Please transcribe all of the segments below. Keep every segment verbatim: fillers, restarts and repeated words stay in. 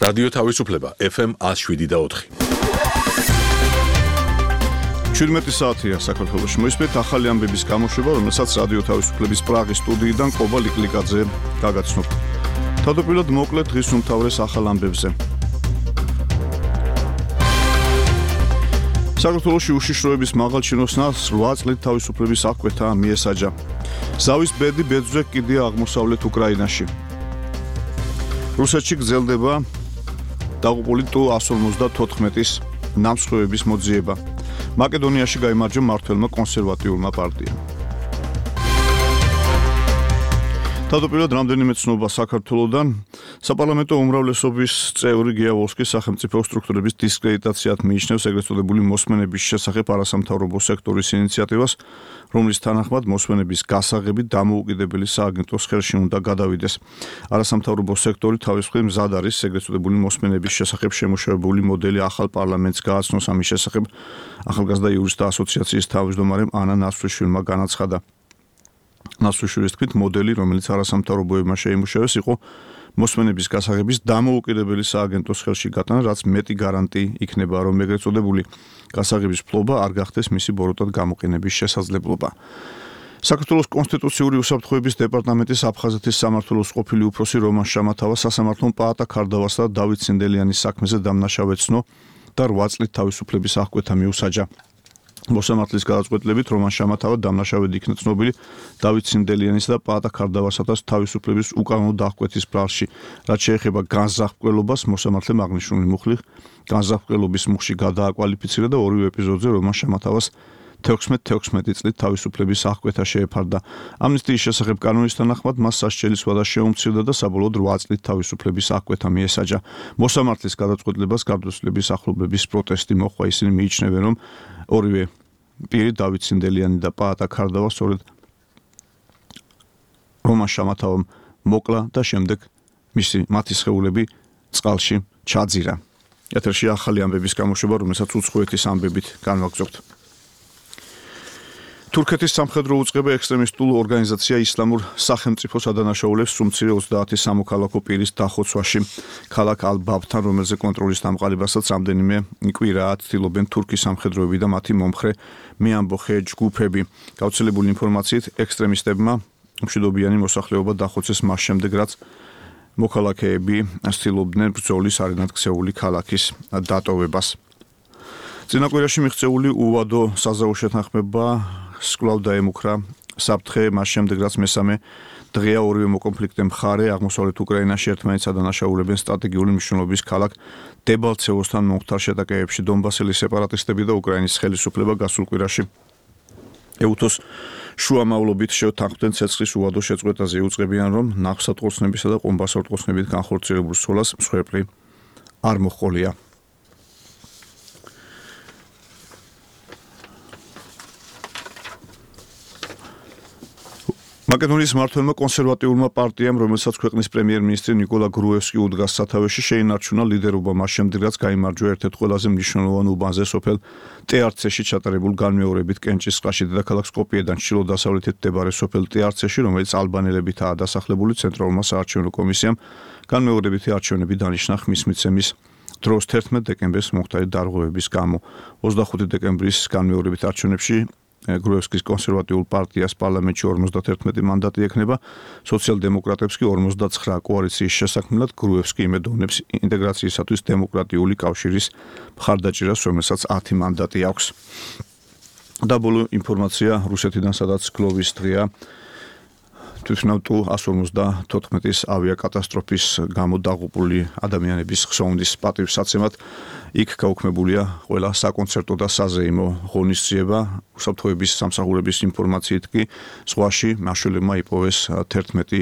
რადიო თავისუფლება ეფ ემ one oh seven და four. შვიდმეტი საათია საქართველოში. მოისმენთ ახალი ამბების გამოშვება, რომელსაც რადიო თავისუფლების პრაღის სტუდიიდან ყობა ლიკლიკაძე გაგაცნობ. თავდაპირველად მოკლედ დღის უმთავრეს ახალ ამბებზე. საქართველოში უშიშროების მაღალ ჩინოსნას რვა წლით თავისუფლების აღკვეთა მიესაჯა. ზავის ბედი ბერძვზე კიდია აღმოსავლეთ უკრაინაში. რუსეთში გრძელდება დაღუპული ტუ one forty-four-ის ნამსხვრევების მოძიება. მაკედონიაში გაიმარჯვა მმართველმა კონსერვატიულმა პარტიამ. თავდაპირველად რამდენიმე ცნობა საქართველოდან საპარლამენტო უმრავლესობის წევრი გიავოლსკი სახელმწიფო სტრუქტურების დისკრედიტაციად მიიჩნევს ეგრეთ წოდებული მოსმენების შესახებ არასამთავრობო სექტორის ინიციატივას, რომლის თანახმად მოსმენების გასაღები დამოუკიდებელი სააგენტოს ხელში უნდა გადავიდეს. არასამთავრობო სექტორი თავის მხრივ მზად არის ეგრეთ წოდებული მოსმენების შესახებ შემუშავებული მოდელი ახალ პარლამენტს გააცნოს. ამის შესახებ ახალგაზრდა იურისტთა ასოციაციის თავმჯდომარემ ანა ნასვრიშვილმა განაცხადა. ნასვრიშვილის თქმით, მოდელი, რომელიც არასამთავრობოებმა შეიმუშავეს, იყო მოსმენების გასაღების დამოუკიდებელი სააგენტოს ხელში გატანა, რაც მეტი გარანტი იქნება, რომ ეგრეთ წოდებული გასაღების ფლობა არ გახდეს მისი ბოროტად გამოყენების შესაძლებლობა. საქართველოს კონსტიტუციური უსაფრთხოების დეპარტამენტის აფხაზეთის სამმართველოს ყოფილი უფროსი რომან შამათავა სასამართლომ პაატა ქარდავასა და დავით ცინდელიანის საქმეზე დამნაშავე ცნო და რვა წლით თავისუფლების აღკვეთა მიუსაჯა. მოსამართლის გადაწყვეტილებით რომან შამათავა დამნაშავედ იქნა ცნობილი დავით ცინდელიანის და პაატა ქარდავასათას თავისუფლების უკანონო დახკვეთის ბრალში. რაც შეეხება განზრახ-მკვლელობას, მოსამართლემ აღნიშნული მუხლი განზრახ-მკვლელობის მუხლში გადააკვალიფიცირა და ორივე ეპიზოდზე რომან შამათავას თექვსმეტ წლით თავისუფლების აღკვეთა შეეფარდა. ამნისტიის შესახებ კანონის თანახმად მას სასჯელის ვადა შეუმცირდა და საბოლოოდ რვა წლით თავისუფლების აღკვეთა მიესაჯა. მოსამართლის გადაწყვეტილებას გარდაცვლილების ახლობლების პროტესტი მოჰყვა. ისინი მიიჩნევენ, რომ ორივე პირი დავით ცინდელიანი და პაატა ქარდავა სწორედ რომან შამათავამ მოკლა და შემდეგ მისი მათი სხეულები წყალში ჩაძირა. ეთერში ახალი ამბების გამოშვება, რომელსაც უცხოეთის ამბებით განვაგრძობთ. თურქეთის სამხედრო უწყება ექსტრემისტულ ორგანიზაცია ისლამურ სახელმწიფოს ადანაშაულებს სუმცირე ოცდაათი სამოქალაქო პირის დახოცვაში. ქალაქ ალ-ბაბთან, რომელზე კონტროლის დამყარებასაც რამდენიმე კვირაა ცდილობენ თურქის სამხედროები და მათი მომხრე მეამბოხე ჯგუფები. გავრცელებული ინფორმაციით, ექსტრემისტებმა მშვიდობიანი მოსახლეობა დახოცეს მას შემდეგ, რაც მოქალაქეები ცდილობდნენ ბრძოლის არენად ქცეული ქალაქის დატოვებას. წინა კვირაში მიღწეული უვადო საზავო შეთანხმება სკვლავ დაემუქრა საფრთხე მას შემდეგ, რაც მესამე დღეა ორივე მოკონფლიქტე მხარე აღმოსავლეთ უკრაინაში ერთმანეთს ადანაშაულებენ სტრატეგიული მნიშვნელობის ქალაქ დებალცევოსთან მომხდარ შეტაკებებში. დონბასელი სეპარატისტები და უკრაინის ხელისუფლება გასულ კვირაში ეუთოს შუამავლობით შეთანხმდნენ ცეცხლის უვადო შეწყვეტაზე. იუწყებიან, რომ ნავსატყორცნებისა და ყომბასატყორცნებით განხორციელებულ სროლას მსხვერპლი არ მოჰყოლია. მაკედონიის მმართველმა კონსერვატიულმა პარტიამ, რომელსაც ქვეყნის პრემიერ-მინისტრი ნიკოლა გრუევსკი უდგას სათავეში, შეინარჩუნა ლიდერობა მას შემდეგ, რაც გაიმარჯვა ერთ-ერთ ყველაზე მნიშვნელოვან უბანზე სოფელ ტეარცეში ჩატარებულ განმეორებით კენჭის წყალში. დედაქალაქ სკოპიედან ჩრდილო-დასავლეთით მდებარე სოფელ ტეარცეში, რომელიც ალბანელებითაა დასახლებული, ცენტრალურმა საარჩევნო კომისიამ განმეორებითი არჩევნები დანიშნა ხმის მიცემის დროს თერთმეტ დეკემბერს მომხდარი დარღვევების გამო. ოცდახუთი დეკემბრის განმეორებით არჩევნებში გრუევსკის კონსერვატიულ პარტიას პარლამენტში ორმოცდაათი მანდატი ექნება, სოციალ-დემოკრატებს კი ორმოცდაცხრა. კოალიციის შესაქმნელად გრუევსკი იმედოვნებს ინტეგრაციისათვის დემოკრატიული კავშირის მხარდაჭერას, რომელსაც ათი მანდატი აქვს. და ბოლო ინფორმაცია რუსეთიდან, სადაც გლოვის დღეა. თვითონ ტუ one forty-four-ის ავიაკატასტროფის გამო დაღუპული ადამიანების ხსოვნის პატივსაცემად იქ გაუქმებულია ყველა საკონცერტო და საზეიმო ღონისძიება. უსაფრთხოების სამსახურების ინფორმაციით კი ზღვაში მაშველებმა იპოვეს თერთმეტი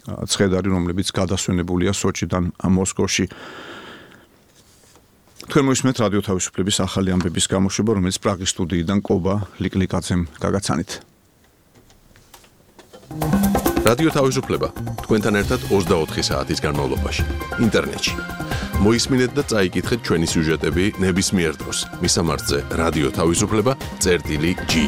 ცხედარი, რომლებიც გადასვენებულია სოჩიდან მოსკოვში. თქვენ მოისმენთ რადიო თავისუფლების ახალი ამბების გამოშვება, რომელიც პრაღის სტუდიიდან ყობა ლიკლიკაძემ გაგაცანით. რადიო თავისუფლება თქვენთან ერთად ოცდაოთხი საათის განმავლობაში ინტერნეტში. მოისმინეთ და წაიკითხეთ ჩვენი სიუჟეტები ნებისმიერ დროს. მისამართზე რადიო თავისუფლება წერტილი ჯი.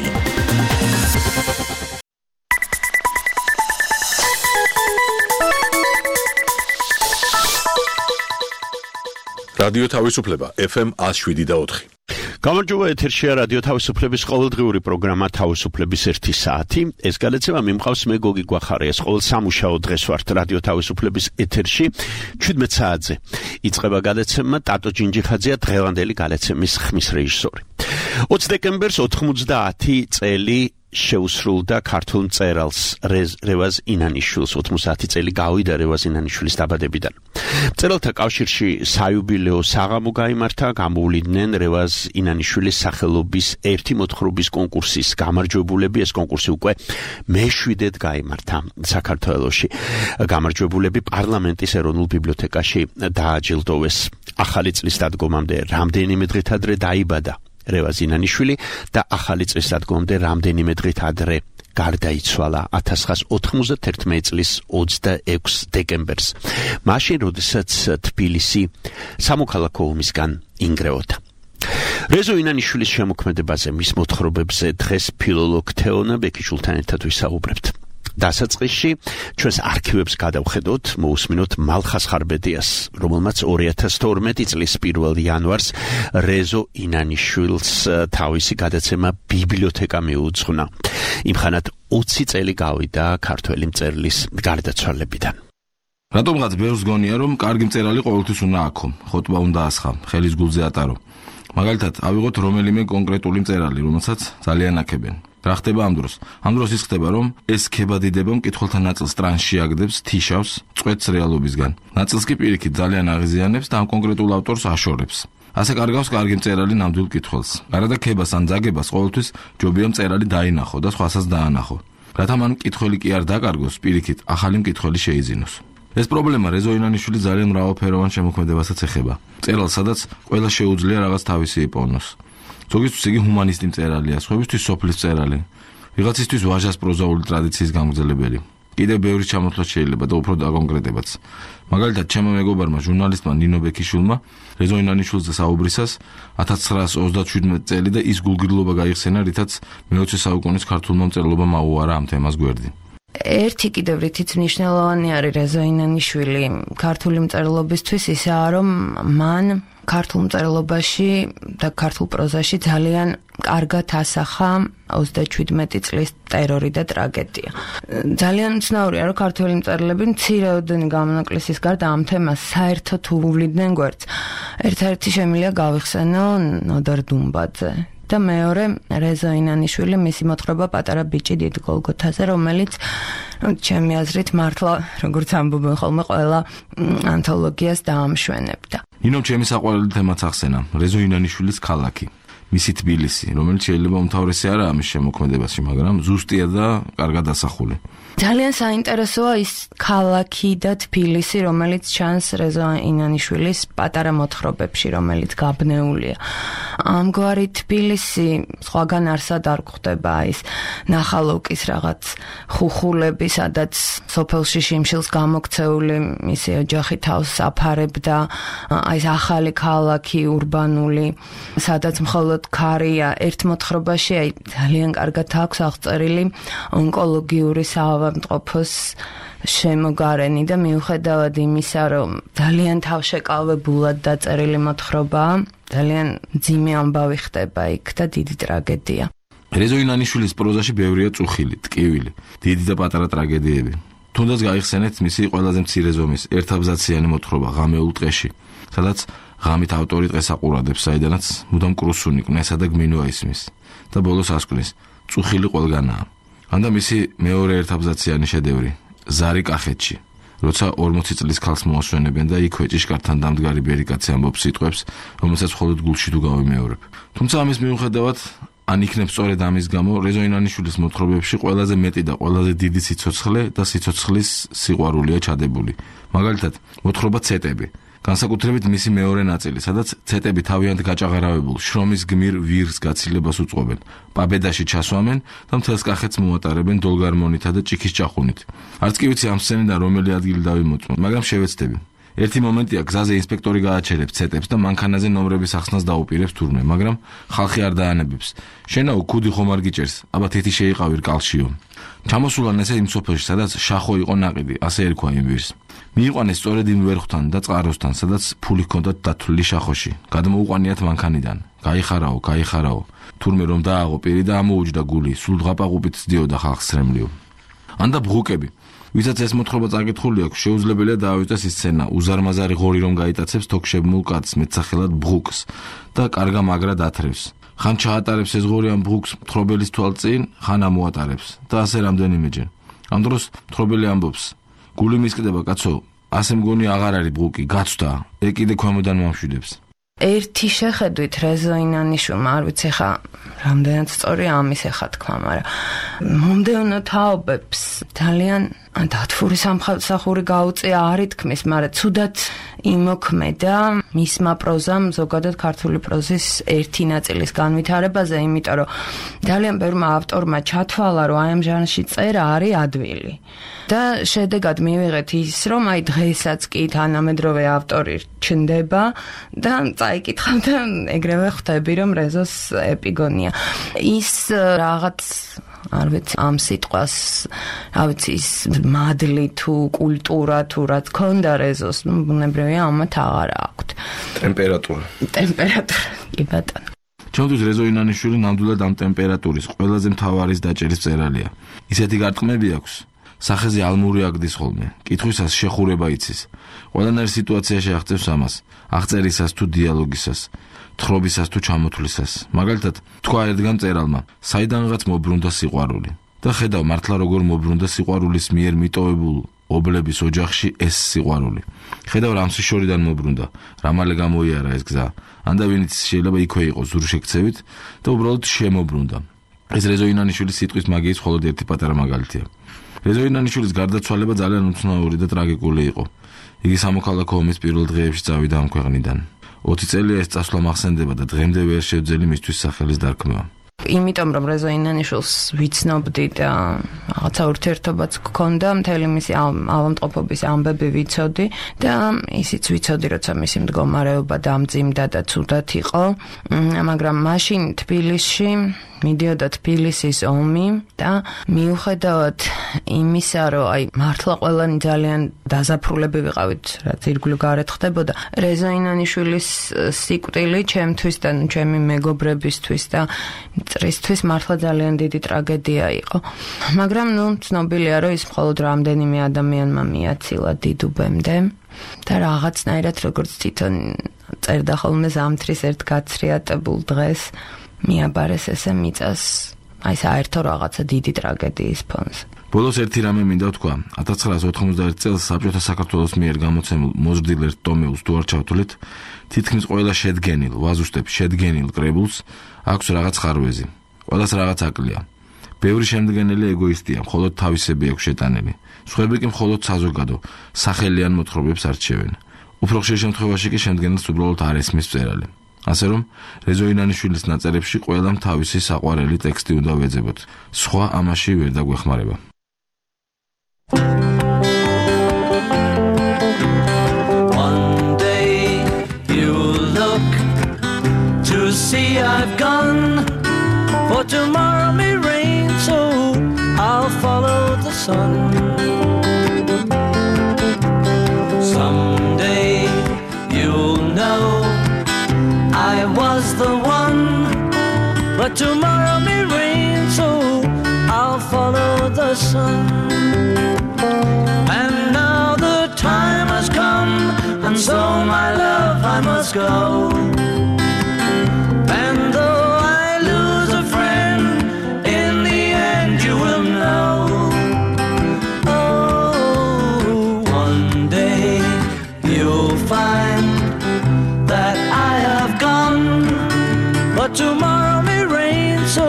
რადიო თავისუფლება ეფ ემ one oh seven და four. გამარჯობა, ეთერშია რადიო თავისუფლების ყოველდღიური პროგრამა თავისუფლების ერთი საათი. ეს გადაცემა მიმყავს მე გოგი გვახარიას. ყოველ სამუშაო დღეს ვართ რადიო თავისუფლების ეთერში seventeen საათზე. იწყება გადაცემა ტატო ჯინჯიხაძეა დღევანდელი გადაცემის ხმის რეჟისორი. twenty დეკემბერს ninety წელი შეუსრულდა ქართულ მწერალს რევაზ ინანიშვილს. ოცდაათი წელი გავიდა რევაზ ინანიშვილის დაბადებიდან. მწერალთა კავშირში საიუბილეო საღამო გაიმართა, გამოვლიდნენ რევაზ ინანიშვილის სახელობის ერთი მოთხრობის კონკურსის გამარჯვებულები. ეს კონკურსი უკვე მეშვიდედ გაიმართა საქართველოში. გამარჯვებულები პარლამენტის ეროვნულ ბიბლიოთეკაში დააჯილდოვეს. ახალი წლის დადგომამდე რამდენიმე დღით ადრე დაიბადა რევაზ ინანიშვილი და ახალი წლის დადგომამდე რამდენიმე დღით ადრე გარდაიცვალა nineteen ninety-one წლის twenty-six დეკემბერს. მაშინ, როდესაც თბილისი სამოქალაქო ომისგან ინგრეოდა. რეზო ინანიშვილის შემოქმედებაზე, მის მოთხრობებზე დღეს ფილოლოგ თეონა ბექიშვილთან ერთად ვისაუბრებთ. დასაწყისში ჩვენს არქივებს გადავხედოთ, მოусმინოთ მალხას ხარბედიას, რომელმაც two thousand twelve წლის პირველ იანვარს რეზო ინანიშვილს თავისი გადაცემა ბიბლიოთეკა მიუძღვნა. იმხანად twenty წელი გავიდა ქართველი მწერლის გარდაცვალებიდან. რატომღაც ბევრს გონია, რომ კარგი მწერალი ყოველთვის უნდა აქო, ხოტბა უნდა ასხა, ხელის გულზე ატარო. მაგალითად, ავიღოთ რომელიმე კონკრეტული მწერალი, რომელსაც ძალიან აქებენ. რა ხდება ამ დროს? ამ დროს ის ხდება, რომ ეს ქებადიდება მკითხველთა ნაწილს ტრანსში აგდებს, თიშავს, წვეთს რეალობისგან. ნაწილს კი პირიქით ძალიან აღიზიანებს და ამ კონკრეტულ ავტორს აშორებს. ასე კარგავს კარგი მწერალი ნამდვილ მკითხველს. გარდა ქებას ან ძაგებას ყოველთვის ჯობია მწერალი დაინახო და სხვასაც დაანახო. რათა მან მკითხველი კი არ დაკარგოს, პირიქით ახალი მკითხველი შეიძინოს. ეს პრობლემა რეზო ინანიშვილი ძალიან მრავალფეროვან შემოქმედებასაც ეხება. მწერალს, სადაც ყველა შეუძლია რაღაც თავისი იპოვნოს. ზოგისთვის იგი ჰუმანისტი მწერალია, სხვებისთვის სოფლის მწერალი, ვიღაცისთვის ვაჟას პროზაული ტრადიციის გამგზელებელი. კიდევ ბევრი ჩამოთვლა შეიძლება და უფრო დაკონკრეტებაც. მაგალითად, ჩემო მეგობარმა ჟურნალისტმა ნინო ბექიშვილმა რეზო ინანიშვილზე საუბრისას nineteen thirty-seven წელი და ის გულგრილობა გაიხსენა, რითაც მეოცე საუკუნის ქართულმა მწერლობამ აუარა ამ თემას გვერდი. ერთი კიდევ რითიც მნიშვნელოვანი არის რეზო ინანიშვილი ქართული მწერლობისთვის ისაა, რომ მან ქართულ მწერლობაში და ქართულ პროზაში ძალიან კარგად ასახა twenty-seven წლის ტერორი და ტრაგედია. ძალიან მცნაურია, რომ ქართველი მწერლები მცირეოდენი გამონაკლისის გარდა ამ თემას საერთოდ უვლიდნენ გვერდს. ერთ-ერთი შემიძლია გავიხსენო ნოდარ დუმბაძე. და მეორე რეზო ინანიშვილი, მისი მოთხრობა პატარა ბიჭი დიდ გოლგოთაზე, რომელიც ჩემი აზრით მართლა, როგორც ამბობენ ხოლმე, ყველა ანთოლოგიას დაამშვენებდა. ნინომ ჩემი საყვარელი თემაც ახსენა, რეზო ინანიშვილის ქალაქი, მისი თბილისი, რომელიც შეიძლება უმთავრესი არა ამის შემოქმედებაში, მაგრამ ზუსტია და კარგად ასახული. ძალიან საინტერესოა ის ქალაქი და თბილისი, რომელიც ჩანს რეზო ინანიშვილის პატარა მოთხრობებში, რომელიც გაბნეულია. ამგვარი თბილისი სხვაგან არსად არ გვხვდება, ის ნახალოვკის რაღაც ხუხულები, სადაც სოფელში შიმშილს გამოქცეული მისი ოჯახი თავს აფარებდა, აი ეს ახალი ქალაქი ურბანული, სადაც მხოლოდ ქარია. ერთ მოთხრობაში აი ძალიან კარგად აქვს აღწერილი ონკოლოგიური საავადმყოფოს შემოგარენი და მიუხედავად იმისა, რომ ძალიან თავშეკავებულად დაწერილი მოთხრობაა, ძალიან მძიმე ამბავი ხდება იქ და დიდი ტრაგედია. რეზო ინანიშვილის პროზაში ბევრია წუხილი, ტკივილი, დიდი და პატარა ტრაგედიები. თუნდაც გაიხსენეთ მისი ყველაზე მცირე ზომის ერთაბზაციანი მოთხრობა ღამეულ ტყეში, სადაც ღამით ავტორი ტყეს აყურადებს, საიდანაც მუდამ კრუსუნი, კნესა და გმინვა ისმის და ბოლოს ასკვნის, წუხილი ყველგანაა. ანდა მისი მეორე ერთაბზაციანი შედევრი, ზარი კახეთში, როცა forty წლის ქალს მოასვენებენ და იქ ვეჭიშკართან დამდგარი ბერიკაცი ამბობს სიტყვებს, რომელსაც მხოლოდ გულში თუ გავიმეორებ. თუმცა ამის მიუხედავად, ან იქნებ სწორედ ამის გამო, რეზო ინანიშვილის მოთხრობებში ყველაზე მეტი და ყველაზე დიდი სიცოცხლე და სიცოცხლის სიყვარულია ჩადებული. მაგალითად, მოთხრობა ცეტები. განსაკუთრებით მისი მეორე ნაწილი, სადაც ცეტები თავიანთ გაჭაღარავებულ შრომის გმირ ვირს გაცილებას უწყობენ, პაბედაში ჩასვამენ და მთელს კახეთს მოატარებენ დოლგარმონითა და ჭიქის ჭახუნით. არც კი ვიცი ამ სცენიდან რომელი ადგილი დავიმოწმო, მაგრამ შევეცდები. ერთი მომენტია, გზაზე ინსპექტორი გააჩერებს ცეტებს და მანქანაზე ნომრების ახსნას დაუპირებს თურმე, მაგრამ ხალხი არ დაანებებს. შენაო ქუდი ხომ არ გიჭერს, აბა თეთი შეიყავი რკალშიო. ჩამოსულან ესე იმ სოფელში, სადაც შახო იყო ნაყიდი, ასე ერქვა იმ ვირს. მიიყვანეს სწორედ იმ ვერხვთან და წყაროსთან, სადაც ფული ჰქონდათ დათვლილი შახოში. გადმოუყვანიათ მანქანიდან. გაიხარაო, გაიხარაო. თურმე რომ დააღო პირი და ამოუჯდა გული, სულ დღაპაყუპით ძდიოდა ხალხს სრემლიო. ანდა ბღუკები. ვისაც ეს მოთხრობა წაკითხული აქვს, შეუძლებელია დაავიწყდეს ის სცენა, უზარმაზარი ღორი რომ გაიტაცებს თოქშებმულ კაცს მეტსახელად ბღუკს და კარგა მაგრად ათრევს. ხან ჩაატარებს ეს ღორი ამ ბღუკს მთხრობელის თვალწინ, ხან ამოატარებს და ასე რამდენიმეჯერ. ამ დროს მთხრობელი ამბობს: გული მისკდება კაცო, ასე მგონი აღარ არის ბღუკი, გაცვდა, ე კიდე ქვემოდან მომშვიდებს. ერთი შეხედვით რეზო ინანიშვილმა, არ ვიცი ხა რამდენად სწორია ამის ეხა თქვა, მაგრამ მომდევნო თაობებს ძალიან დათვური სამსახური გაუწია არ ითქმის, მაგრამ ცუდად იმოქმედა მისმა პროზამ ზოგადად ქართული პროზის ერთი ნაწილის განვითარებაზე, იმიტომ რომ ძალიან ბევრმა ავტორმა ჩათვალა, რომ აი ამ ჟანრში წერა არის ადვილი. და შედეგად მივიღეთ ის, რომ აი დღესაც კი თანამედროვე ავტორი ჩნდება და წაიკითხავ და ეგრევე ხვდები, რომ რეზოს ეპიგონია. ის რაღაც არ ვიცი ამ სიტყვას, რა ვიცი ის მადლი თუ კულტურა თუ რაც ქონდა რეზოს, ნუ ბუნებრივია ამათ აღარ აქვთ. ტემპერატურა. ტემპერატურა, კი ბატონო. ჩემთვის რეზო ინანიშვილი ნამდვილად ამ ტემპერატურის ყველაზე მთავარი დაჭერის მწერალია. ისეთი გარტყმები აქვს. სახეზე ალმური აგდის ხოლმე. კითხვისას შეხურება იცის. ყველანაირ სიტუაციაში აღწევს ამას. აღწერისას თუ დიალოგისას, თხრობისას თუ ჩამოთვლისას. მაგალითად, თქვა ერთგან მწერალმა, საიდანღაც მობრუნდა სიყვარული. და ხედავ მართლა როგორ მობრუნდა სიყვარულის მიერ მიტოვებულ ობლების ოჯახში ეს სიყვარული. ხედავ რამსიშორიდან მობრუნდა, რამალე გამოიარა ეს გზა. ანდა ვინც შეიძლება იქვე იყოს ზურშექცევით და უბრალოდ შემობრუნდა. ეს რეზო ინანიშვილის სიტყვის მაგიის მხოლოდ ერთი პატარა მაგალითია. რეზო ინანიშვილის გარდაცვალება ძალიან უცნაური და ტრაგიკული იყო. იგი სამოქალაქო ომის პირველ დღეებში წავიდა ამ ქვეყნიდან. ოცი წელია ეს წასვლა მახსენდება და დღემდე ვერ შეძელი მისთვის სახელის დარქმევა. იმიტომ რომ რეზო ინანიშვილს ვიცნობდი და რაღაცა ურთიერთობაც გქონდა, მთელი მისი ავადმყოფობის ამბები ვიცოდი და ისიც ვიცოდი, როცა მისი მდგომარეობა დამძიმდა და ცუდად იყო, მაგრამ მაშინ თბილისში მიდიოდა თბილისის ომი და მიუხედავად იმისა, რომ აი მართლა ყველანი ძალიან დაზაფრულები ვიყავით, რაც ირგვლივ გარეთ ხდებოდა, რეზო ინანიშვილის სიკვდილი ჩემთვის და ჩემი მეგობრებისთვის და მწრისთვის მართლა ძალიან დიდი ტრაგედია იყო. მაგრამ ნუ ცნობილია, რომ ის მხოლოდ რამდენიმე ადამიანმა მიაცილა დიდუბემდე და რაღაცნაირად როგორც თვითონ წერდა ხოლმე ზამთრის ერთ გაცრიატებულ დღეს მიაბარეს ესე მიწას აი საერთო რაღაცა დიდი ტრაგედიის ფონზე. ბოლოს ერთი რამე მინდა ვთქვა. ათას ცხრაას ოთხმოცდაერთი წელს საბჭოთა საქართველოს მიერ გამოცემულ მოზრდილ ერთ ტომეულს თუ არ ჩავთვლით, თითქმის ყველა შედგენილ, ვაზუსტებ, შედგენილ კრებულს აქვს რაღაც ხარვეზი. ყველას რაღაც აკლია. ბევრი შემდგენელი ეგოისტია, მხოლოდ თავისები აქვს შეტანილი. სხვები კი მხოლოდ საზოგადო, სახელიან მოთხრობებს არჩევენ. უფრო ხშირ შემთხვევაში კი შემდგენელს უბრალოდ არ ესმის მწერალი. ასე რომ, რეზო ინანიშვილის ნაწერებში ყველამ თავისი საყვარელი ტექსტი უნდა ვეძებოთ. სხვა ამაში ვერ დაგვეხმარება. One day you look to see I've gone, for tomorrow may rain, so I'll follow the sun. Someday you'll know I was the one, but tomorrow may rain, so I'll follow the sun. And now the time has come, and so my love I must go. And though I lose a friend, in the end you will know. Oh, one day you'll find that I have gone, but tomorrow may rain, so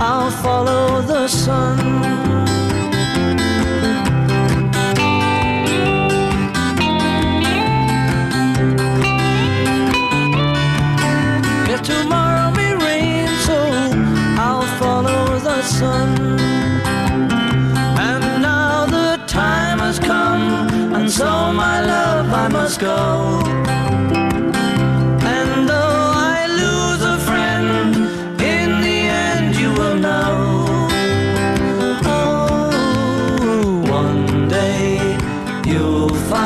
I'll follow the sun. Yeah, tomorrow may rain, so I'll follow the sun. And now the time has come, and so my love I must go. You'll find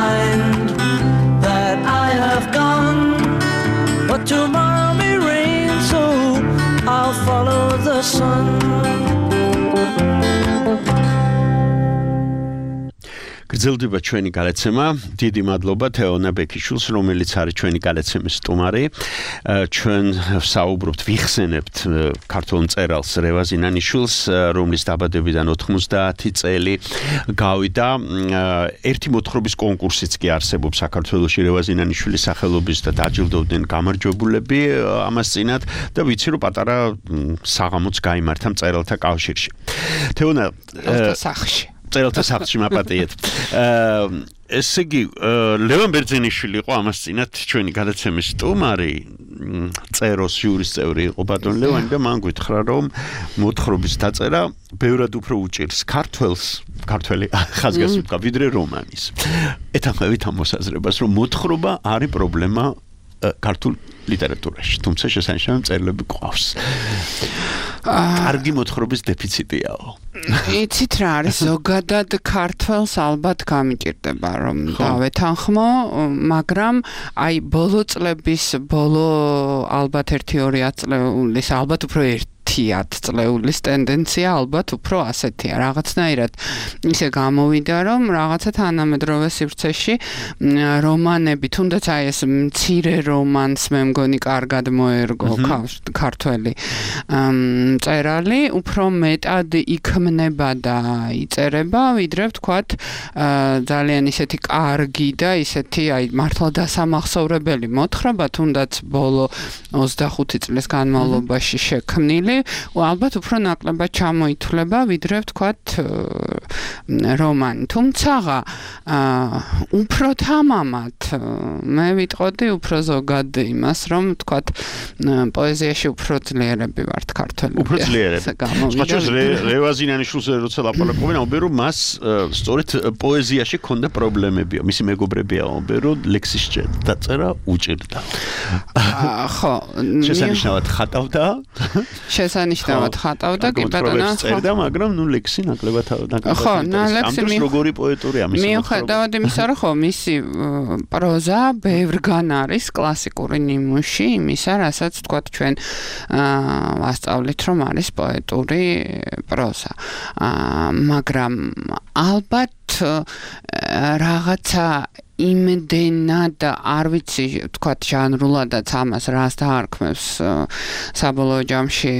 გრძელდება ჩვენი გალაცემა. დიდი მადლობა თეონა ბექიშვილს, რომელიც არის ჩვენი გალაცემის სტუმარი. ჩვენ საუბრობთ, ვიხსენებთ ქართულ მწერალს რევაზ ინანიშვილს, რომლის დაბადებიდან ოთხმოცდაათი წელი გავიდა. ერთი მოთხრობის კონკურსიც კი არსებობს საქართველოში რევაზ ინანიშვილის სახელობის და დაჯილდოვდნენ გამარჯვებულები ამას წინათ და ვიცი რომ პატარა საღამოც გაიმართა მწერალთა კავშირში. თეონა სახში წერალთა სახლში მაპატიეთ. ესე იგი ლევან ბერძენიშვილი იყო ამას წინათ ჩვენი გადაცემის სტუმარი, წეროს ჟურის წევრი იყო ბატონ ლევანი და მან გითხრა რომ მოთხრობის დაწერა ბევრად უფრო უჭირს ქართველს, ქართველი ხაზგასმით ვიდრე რომანის. ეთანხმებით ამ მოსაზრებას რომ მოთხრობა არის პრობლემა ქართულ ლიტერატურაში, თუმცა შესანიშნავი მწერლები გვყავს. კარგი მოთხრობის დეფიციტიაო. იცით რა არის, ზოგადად ქართველს ალბათ გამიჭირდება რომ დავეთანხმო, მაგრამ აი ბოლო წლების, ბოლო ალბათ ერთი ორი წლების, ალბათ უფრო ერთი ათ წლეულის ტენდენცია ალბათ უფრო ასეთია. რაღაცნაირად ისე გამოვიდა რომ რაღაცა თანამედროვე სივრცეში რომანები, თუნდაც აი ეს მცირე რომანს მე მგონი კარგად მოერგო ქართველი მწერალი, უფრო მეტად იქმნება და იწერება, ვიდრე ვთქვათ ძალიან ისეთი კარგი და ისეთი აი მართლა დასამახსოვრებელი მოთხრობა, თუნდაც ბოლო ოცდახუთი წლის განმავლობაში შექმნილი, ალბათ უფრო ნაკლებად ჩამოითვლება, ვიდრე ვთქვათ რომანი. თუმცა უფრო თამამად მე ვიტყოდი უფრო ზოგად იმას, რომ ვთქვათ პოეზიაში უფრო ძლიერები ვართ ქართველები. უფრო ძლიერები. სხვაჩვენს რევაზ ინანიშვილს როცა ლაპარაკობენ, ამბობენ რომ მას სწორედ პოეზიაში ჰქონდა პრობლემებია. მისი მეგობრებია ამბობენ რომ ლექსის დაწერა უჭირდა. ხო, შესანიშნავად ხატავდა. შესანიშნავად ხატავდა, კი ბატონო. წერდა, მაგრამ ნუ ლექსი ნაკლებად ნაკლებად. ხო, ლექსი ამის როგორი პოეტურია მისი. მიუხედავად იმისა, რომ ხო, მისი პროზა ბევრგან არის კლასიკური ნიმუში, იმისა, რასაც ვთქვათ ჩვენ ვასწავლით, რომ არის პოეტური პროზა. მაგრამ ალბათ რაღაცა იმდენად არ ვიცი ვთქვათ ჟანრულადაც ამას რას დაარქმევს საბოლოო ჯამში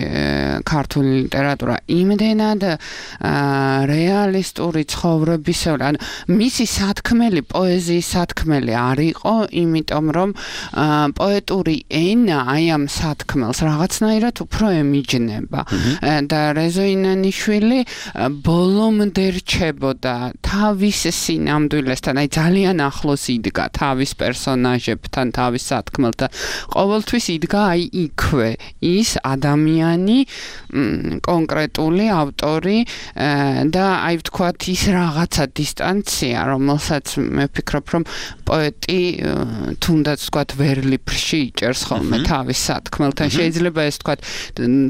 ქართული ლიტერატურა, იმდენად რეალისტური ცხოვრების, ან მისი სათქმელი, პოეზიის სათქმელი არ იყო, იმიტომ რომ პოეტური ენა აი ამ სათქმელს რაღაცნაირად უფრო ემიჯნება და რეზო ინანიშვილი ბოლომდე რჩებოდა თავის სინამდვილესთან, აი ძალიან ახლოს იდგა თავის პერსონაჟებთან, თავის სათქმელთან. ყოველთვის იდგა აი იქვე ის ადამიანი, კონკრეტული ავტორი და აი ვთქვათ ის რაღაცა დისტანცია, რომელსაც მე ვფიქრობ, რომ პოეტი თუნდაც ვთქვათ ვერლიფში იჭერს ხოლმე თავის სათქმელთან. შეიძლება ეს ვთქვათ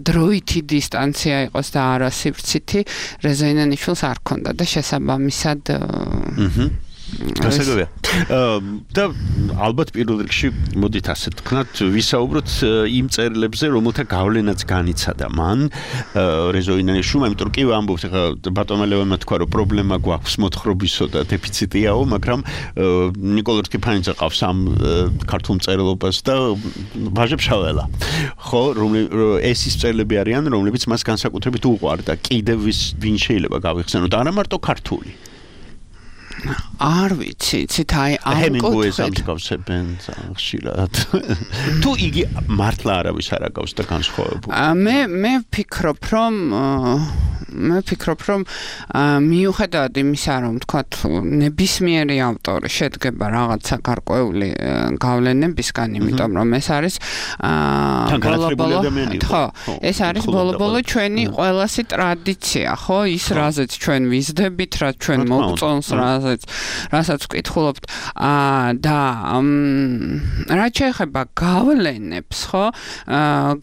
დროითი დისტანცია იყოს და არა სივრცითი, რეზო ინანიშვილს არ ქონდა და შესაბამისად გასაგებია. და ალბათ პირველ რიგში მოდით ასე თქვათ, ვისაუბროთ იმ წერილებზე, რომელთა გავლენაც განიცადა მან რეზო ინანიშვილმა, იმიტომ რომ კი ვამბობთ, ხა ბატონმა ლევანმა თქვა, რომ პრობლემა გვაქვს მოთხრობისო და დეფიციტიაო, მაგრამ ნიკოლოზ რკიფანიძე ყავს ამ ქართულ მწერლობას და ვაჟებ-შაველა. ხო, ეს ის წერილები არიან, რომლებიც მას განსაკუთრებით უყვარდა. კიდევ ვინ შეიძლება გავიხსენოთ, არა მარტო ქართული. არ ვიცი, იცით, აი ამ ჰემინგუეის ამსგავსებენ ხშირად. თუ იგი მართლა არავის არ აკავს და განსხვავებული. მე მე ვფიქრობ, რომ მე ვფიქრობ, რომ მიუხედავად იმისა, რომ თქვათ ნებისმიერი ავტორი შედგება რაღაცა გარკვეული გავლენებისგან, იმიტომ რომ ეს არის ბოლო-ბოლო, ხო, ეს არის ბოლო-ბოლო ჩვენი ყველასი ტრადიცია, ხო, ის რაზეც ჩვენ ვიზდებით, რა ჩვენ მოგწონს, რაზეც რასაც ვკითხულობთ და რაც შეეხება გავლენებს, ხო,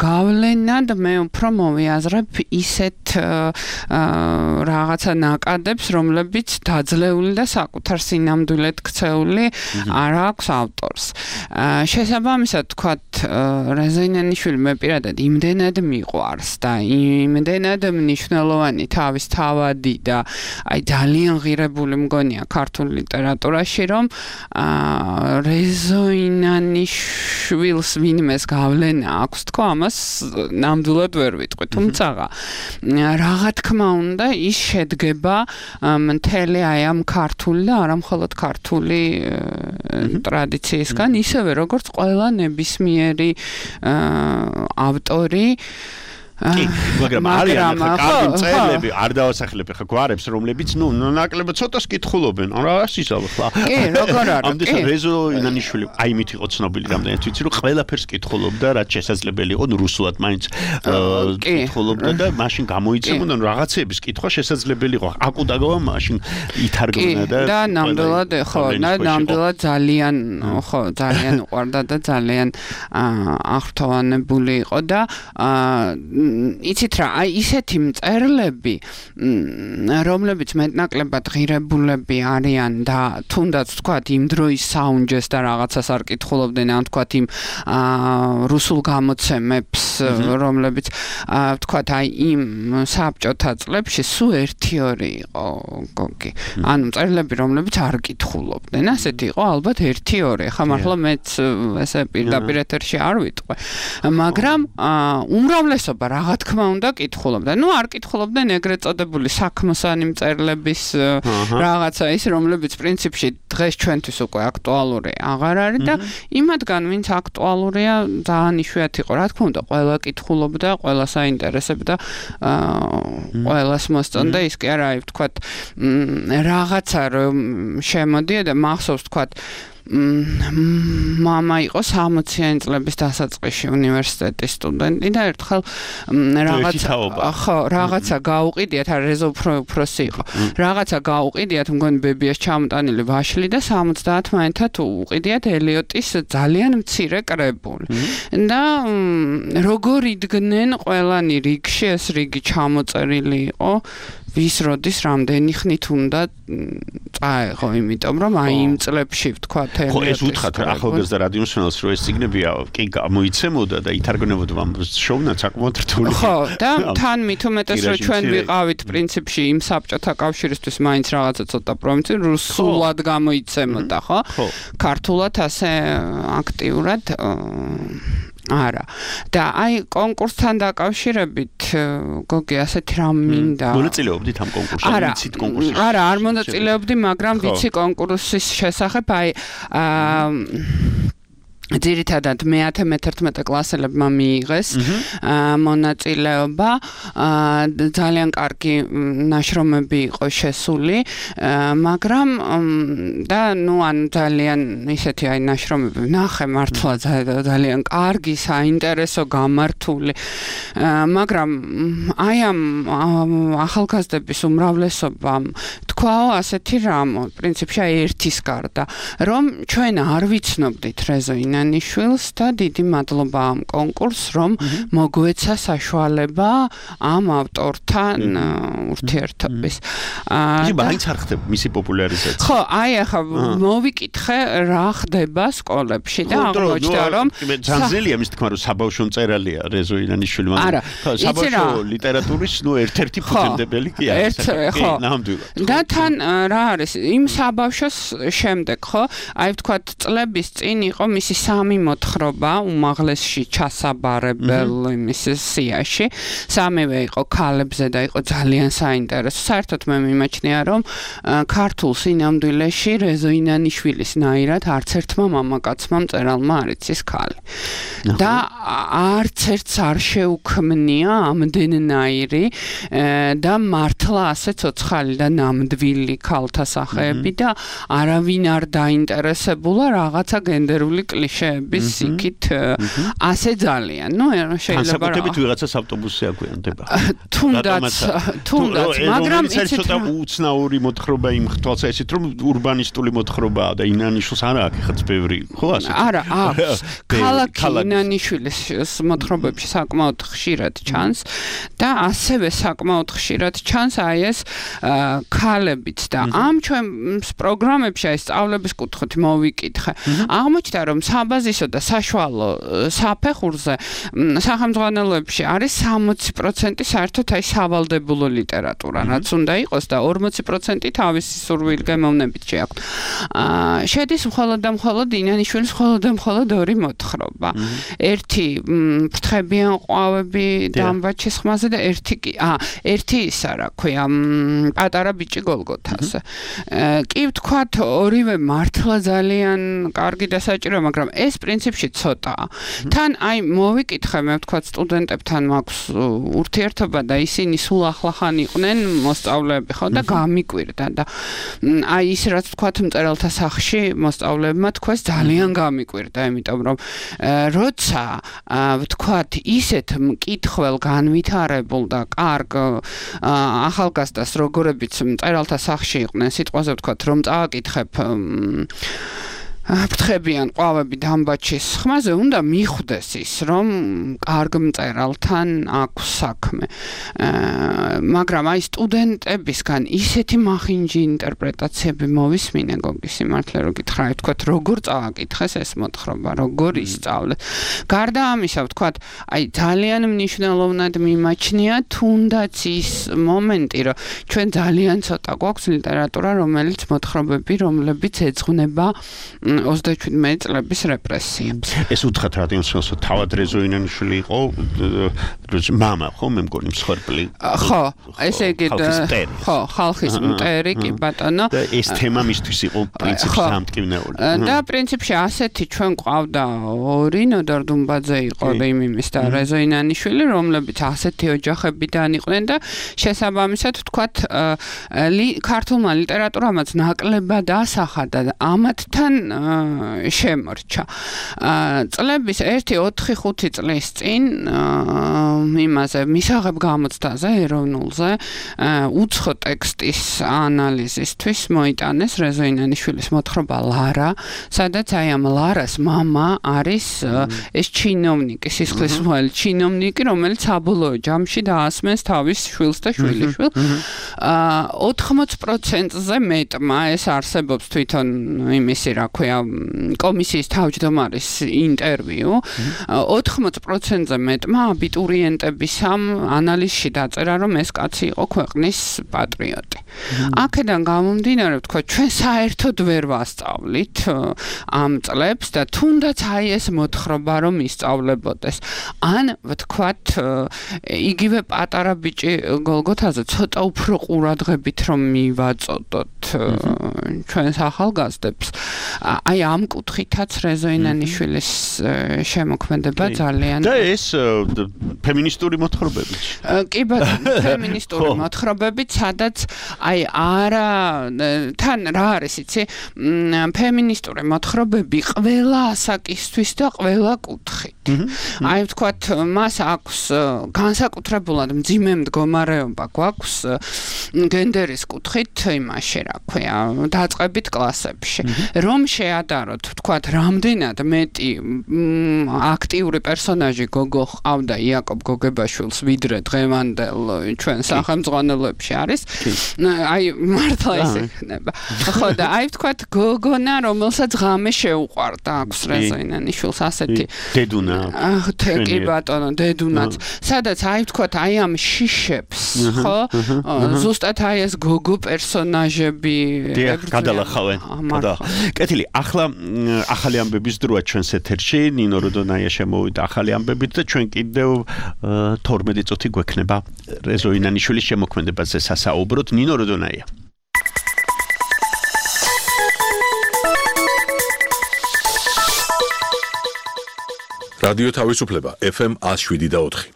გავლენად მე უფრო მოვიაზრებ ისეთ რაღაცა ნაკადებს, რომლებიც დაძლეული და საკუთარ სინამდვილედ ქცეული არ აქვს ავტორს. შესაბამისად, თქვათ, რეზო ინანიშვილი მე პირადად იმდენად მიყვარს და იმდენად მნიშვნელოვანი თავის თავადი და აი ძალიან ღირებული მგონია ქართულ ლიტერატურაში რომ რეზო ინანიშვილს ვინმეს გავლენა აქვს თქო ამას ნამდვილად ვერ ვიტყვი თუმცა რაღა თქმა უნდა ის შედგება მთელი აი ამ ქართული და არა მხოლოდ ქართული ტრადიციისგან ისევე როგორც ყველა ნებისმიერი ავტორი კი, მაგრამ არიან ხა კარგი მწერლები, არ დავასახლებ ხა გვარებს, რომლებიც ნუ ნაკლებად ცოტას კითხულობენ. რა ისაა ხა? კი, როგორ არა? ამდენ რეზო ინანიშვილი აიმით იყო ცნობილი რამდენად ვიცი, რომ ყველაფერს კითხულობდა, რაც შესაძლებელი იყო, ნუ რუსულად მაინც კითხულობდა და მაშინ გამოიცემოდა, რომ რაღაცების კითხვა შესაძლებელი იყო. აკუდაგავა მაშინ ითარგმნა და და ნამდვილად ხო, და ნამდვილად ძალიან ხო, ძალიან უყვარდა და ძალიან აღრთოვანებული იყო და იცით რა, აი ისეთი მწერლები, რომლებიც მეტნაკლებად ღირებულები არიან და თუნდაც თქვათ იმ დროის საუნჯეს და რაღაცას არ კითხულობდნენ, ან თქვათ იმ რუსულ გამოცემებს, რომლებიც თქვათ აი იმ საბჭოთა წლებში სულ ერთი ორი იყო გოგი. ანუ მწერლები, რომლებიც არ კითხულობდნენ, ასეთი იყო ალბათ ერთი ორი. ხა მართლა მეც ესე პირდაპირ ეთერში არ ვიტყვე. მაგრამ უმრავლესობა რა თქმა უნდა კითხულობდა. ნუ არ კითხულობდნენ ეგრეთ წოდებული საქმოსანი მწერლების რაღაცა ის, რომლებიც პრინციპში დღეს ჩვენთვის უკვე აქტუალური აღარ არის და იმათგან ვინც აქტუალურია ძალიან იშვიათი იყო. რა თქმა უნდა, ყველა კითხულობდა, ყველა საინტერესებდა, ყველას მოსწონდა ის კი არა, აი ვთქვათ, რაღაცა რომ შემოდიოდა, მახსოვს ვთქვათ მამა იყო სამოციანი წლების დასაწყისში უნივერსიტეტის სტუდენტი და ერთხელ რაღაცა ხო რაღაცა გაუყიდიათ, არა რეზო უფროსი იყო. რაღაცა გაუყიდიათ, მგონი ბებიას ჩამოტანილი ვაშლი და სამოცდაათ მაინთად უყიდიათ ელიოტის ძალიან მცირე კრებული. და როგორ იდგნენ ყველანი რიგში, ეს რიგი ჩამოწერილი იყო ვის როდის რამდენი ხნით უნდა წაეღო, იმიტომ რომ აი იმ წლებში ვთქვათ ხო ეს უთხრათ ახალგაზრდა რადიომსმენელს რომ ეს ციგნები კი გამოიცემოდა და ითარგმნებოდა ამ შოუნაც საკმაოდ რთული ხო და თან მით უმეტეს რომ ჩვენ ვიყავით პრინციპში იმ საბჭოთა კავშირისთვის მაინც რაღაცა ცოტა პროვინცია რუსულად გამოიცემოდა ხო ქართულად ასე აქტიურად არა და აი კონკურსთან დაკავშირებით გოგი ასეთი რამ მინდა მონაწილეობდით ამ კონკურსში ვიცით კონკურსში არა არ მონაწილეობდი მაგრამ ვიცი კონკურსის შესახებ აი ძირითადად მეათე მეთერთმეტე კლასელებმა მიიღეს მონაწილეობა ძალიან კარგი ნაშრომები იყო შესული მაგრამ და ნუ ან ძალიან ისეთი აი ნაშრომები ნახე მართლა ძალიან კარგი საინტერესო გამართული მაგრამ აი ამ ახალგაზრდების უმრავლესობამ თქვაო ასეთი რამ პრინციპში აი ერთის გარდა რომ ჩვენ არ ვიცნობდით რეზო ნიშვილს და დიდი მადლობა ამ კონკურსს რომ მოგვეცა საშუალება ამ ავტორთან ურთიერთობის. ისე მაინც არ ხდება მისი პოპულარიზაცია. ხო, აი ახლა მოვიკითხე რა ხდება სკოლებში და აღმოჩნდა რომ ძანზელია მის თქმა რომ საბავშვო მწერალია რეზო ინანიშვილი მაგრამ საბავშვო ლიტერატურის ნუ ერთ-ერთი ფუძემდებელი კი არის. ხო, ნამდვილად. და თან რა არის იმ საბავშვოს შემდეგ ხო აი ვთქვათ წლების წინ იყო მისი სამი მოთხრობა უმაღლესში ჩასაბარებელ იმის სიაში სამივე იყო ქალებზე და იყო ძალიან საინტერესო საერთოდ მე მიმაჩნია რომ ქართულ სინამდვილეში რეზო ინანიშვილის ნაირად არც ერთმა მამაკაცმა მწერალმა არ იცის ქალი და არც ერთს არ შეუქმნია ამდენნაირი და მართლა ასე ცოცხალი და ნამდვილი ქალთა სახეები და არავინ არ დაინტერესებულა რაღაცა გენდერული კლიშეების იქით ასე ძალიან. ნუ შეიძლება განსაკუთრებით ვიღაცას ავტობუსზე აგვიანდება. თუნდაც, თუნდაც, მაგრამ იცით ცოტა უცნაური მოთხრობა იმ თვალსაჩინო რომ ურბანისტული მოთხრობაა და ინანიშვილს არა აქვს ხაც ბევრი, ხო ასე? არა, აქვს. ქალაქი ინანიშვილის მოთხრობებში საკმაოდ ხშირად ჩანს და ასევე საკმაოდ ხშირად ჩანს აი ეს ქალებიც და ამ ჩვენ პროგრამებში აი სწავლების კუთხით მოვიკითხე. აღმოჩნდა რომ საბაზისო და საშუალო საფეხურზე სახელმძღვანელოებში არის სამოცი პროცენტი საერთოდ აი სავალდებულო ლიტერატურა, რაც უნდა იყოს და ორმოცი პროცენტი თავისი სურვილგემოვნებით შეაქვთ. აა შედის მხოლოდ და მხოლოდ ინანიშვილის მხოლოდ და მხოლოდ ორი მოთხრობა. ერთი ფრთხებიან ყვავები დამბაჩის ხმაზე და ერთი კი აა ერთი ისა რა ქვია პატარა ბიჭი გოლგოთაზე. კი ვთქვათ ორივე მართლა ძალიან კარგი და საჭირო, მაგრამ ეს პრინციპში ცოტაა. თან აი მოვიკითხე მე ვთქვათ სტუდენტებთან მაქვს ურთიერთობა და ისინი სულ ახლახან იყვნენ მოსწავლეები ხო და გამიკვირდა და აი ის რაც ვთქვათ მწერალთა სახლში მოსწავლეებმა თქვეს ძალიან გამიკვირდა, იმიტომ რომ როცა ვთქვათ ისეთ მკითხվել განვითარებულ და კარგ ახალგაზრდას როგორებიც მწერალთა სახლში იყვნენ, სიტყვაზე ვთქვათ რომ წავაკითხებ ფრთხებიან ყვავები დამბაჩის ხმაზე უნდა მიხვდეს ის რომ კარგ მწერალთან აქვს საქმე. მაგრამ აი სტუდენტებისგან ისეთი მახინჯი ინტერპრეტაციები მოვისმინე გოგის სიმართლე რომ გითხრა, ვთქვათ როგორ წავაკითხეს ეს მოთხრობა, როგორ ისწავლეს. გარდა ამისა ვთქვათ აი ძალიან მნიშვნელოვნად მიმაჩნია თუნდაც ის მომენტი რომ ჩვენ ძალიან ცოტა გვაქვს ლიტერატურა რომელიც მოთხრობები რომლებიც ეძღვნება ოცდაშვიდმეტი წლების რეპრესიებს. ეს უთხრათ რადიოსმენსო თავად რეზო ინანიშვილი იყო მამა ხო მე მგონი მსხვერპლი. ხო, ესე იგი ხო, ხალხის მტერი კი ბატონო. და ეს თემა მისთვის იყო პრინციპში დამტკივნეული. და პრინციპში ასეთი ჩვენ ყავდა ორი ნოდარ დუმბაძე იყო იმიმის და რეზო ინანიშვილი, რომლებიც ასეთი ოჯახებიდან იყვნენ და შესაბამისად ვთქვათ ქართულმა ლიტერატურამაც ნაკლებად ასახა და ამათთან შემორჩა. წლების ერთი ოთხი ხუთი წლის წინ იმაზე მისაღებ გამოცდაზე ეროვნულზე უცხო ტექსტის ანალიზისთვის მოიტანეს რეზო ინანიშვილის მოთხრობა ლარა, სადაც აი ამ ლარას მამა არის ეს ჩინოვნიკი, სისხლისმღვრელი ჩინოვნიკი, რომელიც საბოლოო ჯამში დაასმენს თავის შვილს და შვილიშვილს. ოთხმოცი პროცენტზე მეტმა ეს არსებობს თვითონ იმისი რა ქვია კომისიის თავმჯდომარის ინტერვიუ. ოთხმოცი პროცენტზე მეტმა აბიტურიენტების ამ ანალიზში დაწერა, რომ ეს კაცი იყო ქვეყნის პატრიოტი. აქედან გამომდინარე, ვთქვათ, ჩვენ საერთოდ ვერ ვასწავლით ამ წლებს და თუნდაც აი ეს მოთხრობა რომ ისწავლებოდეს. ან ვთქვათ, იგივე პატარა ბიჭი გოლგოთაზე ცოტა უფრო ყურადღებით რომ მივაწოდოთ ჩვენს ახალგაზრდებს. აი ამ კუთხითაც რეზო ინანიშვილის შემოქმედება ძალიან და ეს ფემინისტური მოთხრობები. კი ბატონო, ფემინისტური მოთხრობები, სადაც აი არა თან რა არის იცი, ფემინისტური მოთხრობები ყველა ასაკისთვის და ყველა კუთხით. აი ვთქვათ, მას აქვს განსაკუთრებულად მძიმე მდგომარეობა გვაქვს გენდერის კუთხით იმაში რა ქვია, დაწყებით კლასებში. რომ შეადაროთ, ვთქვათ, რამდენად მეტი აქტიური პერსონაჟი გოგო ყავდა იაკობ გოგებაშვილს ვიდრე დღევანდელ ჩვენ სახელმძღვანელოებში არის. აი მართლა ისე ხდება. ხო და აი ვთქვათ, გოგონა, რომელსაც ღამე შეუყვარდა აქვს რეზო ინანიშვილს ასეთი დედუნა. კი ბატონო, დედუნაც. სადაც აი ვთქვათ, აი ამ შიშებს, ხო? ზუსტად აი ეს გოგო პერსონაჟები გადალახავენ. კეთილი, ახლა ახალი ამბების დროა ჩვენს ეთერში, ნინო როდონაია შემოვიდა ახალი ამბებით და ჩვენ კიდევ თორმეტი წუთი გვექნება რეზო ინანიშვილის შემოქმედებაზე სასაუბროთ. ნინო როდონაია. რადიო თავისუფლება ეფ ემ ნული შვიდი და ოთხი.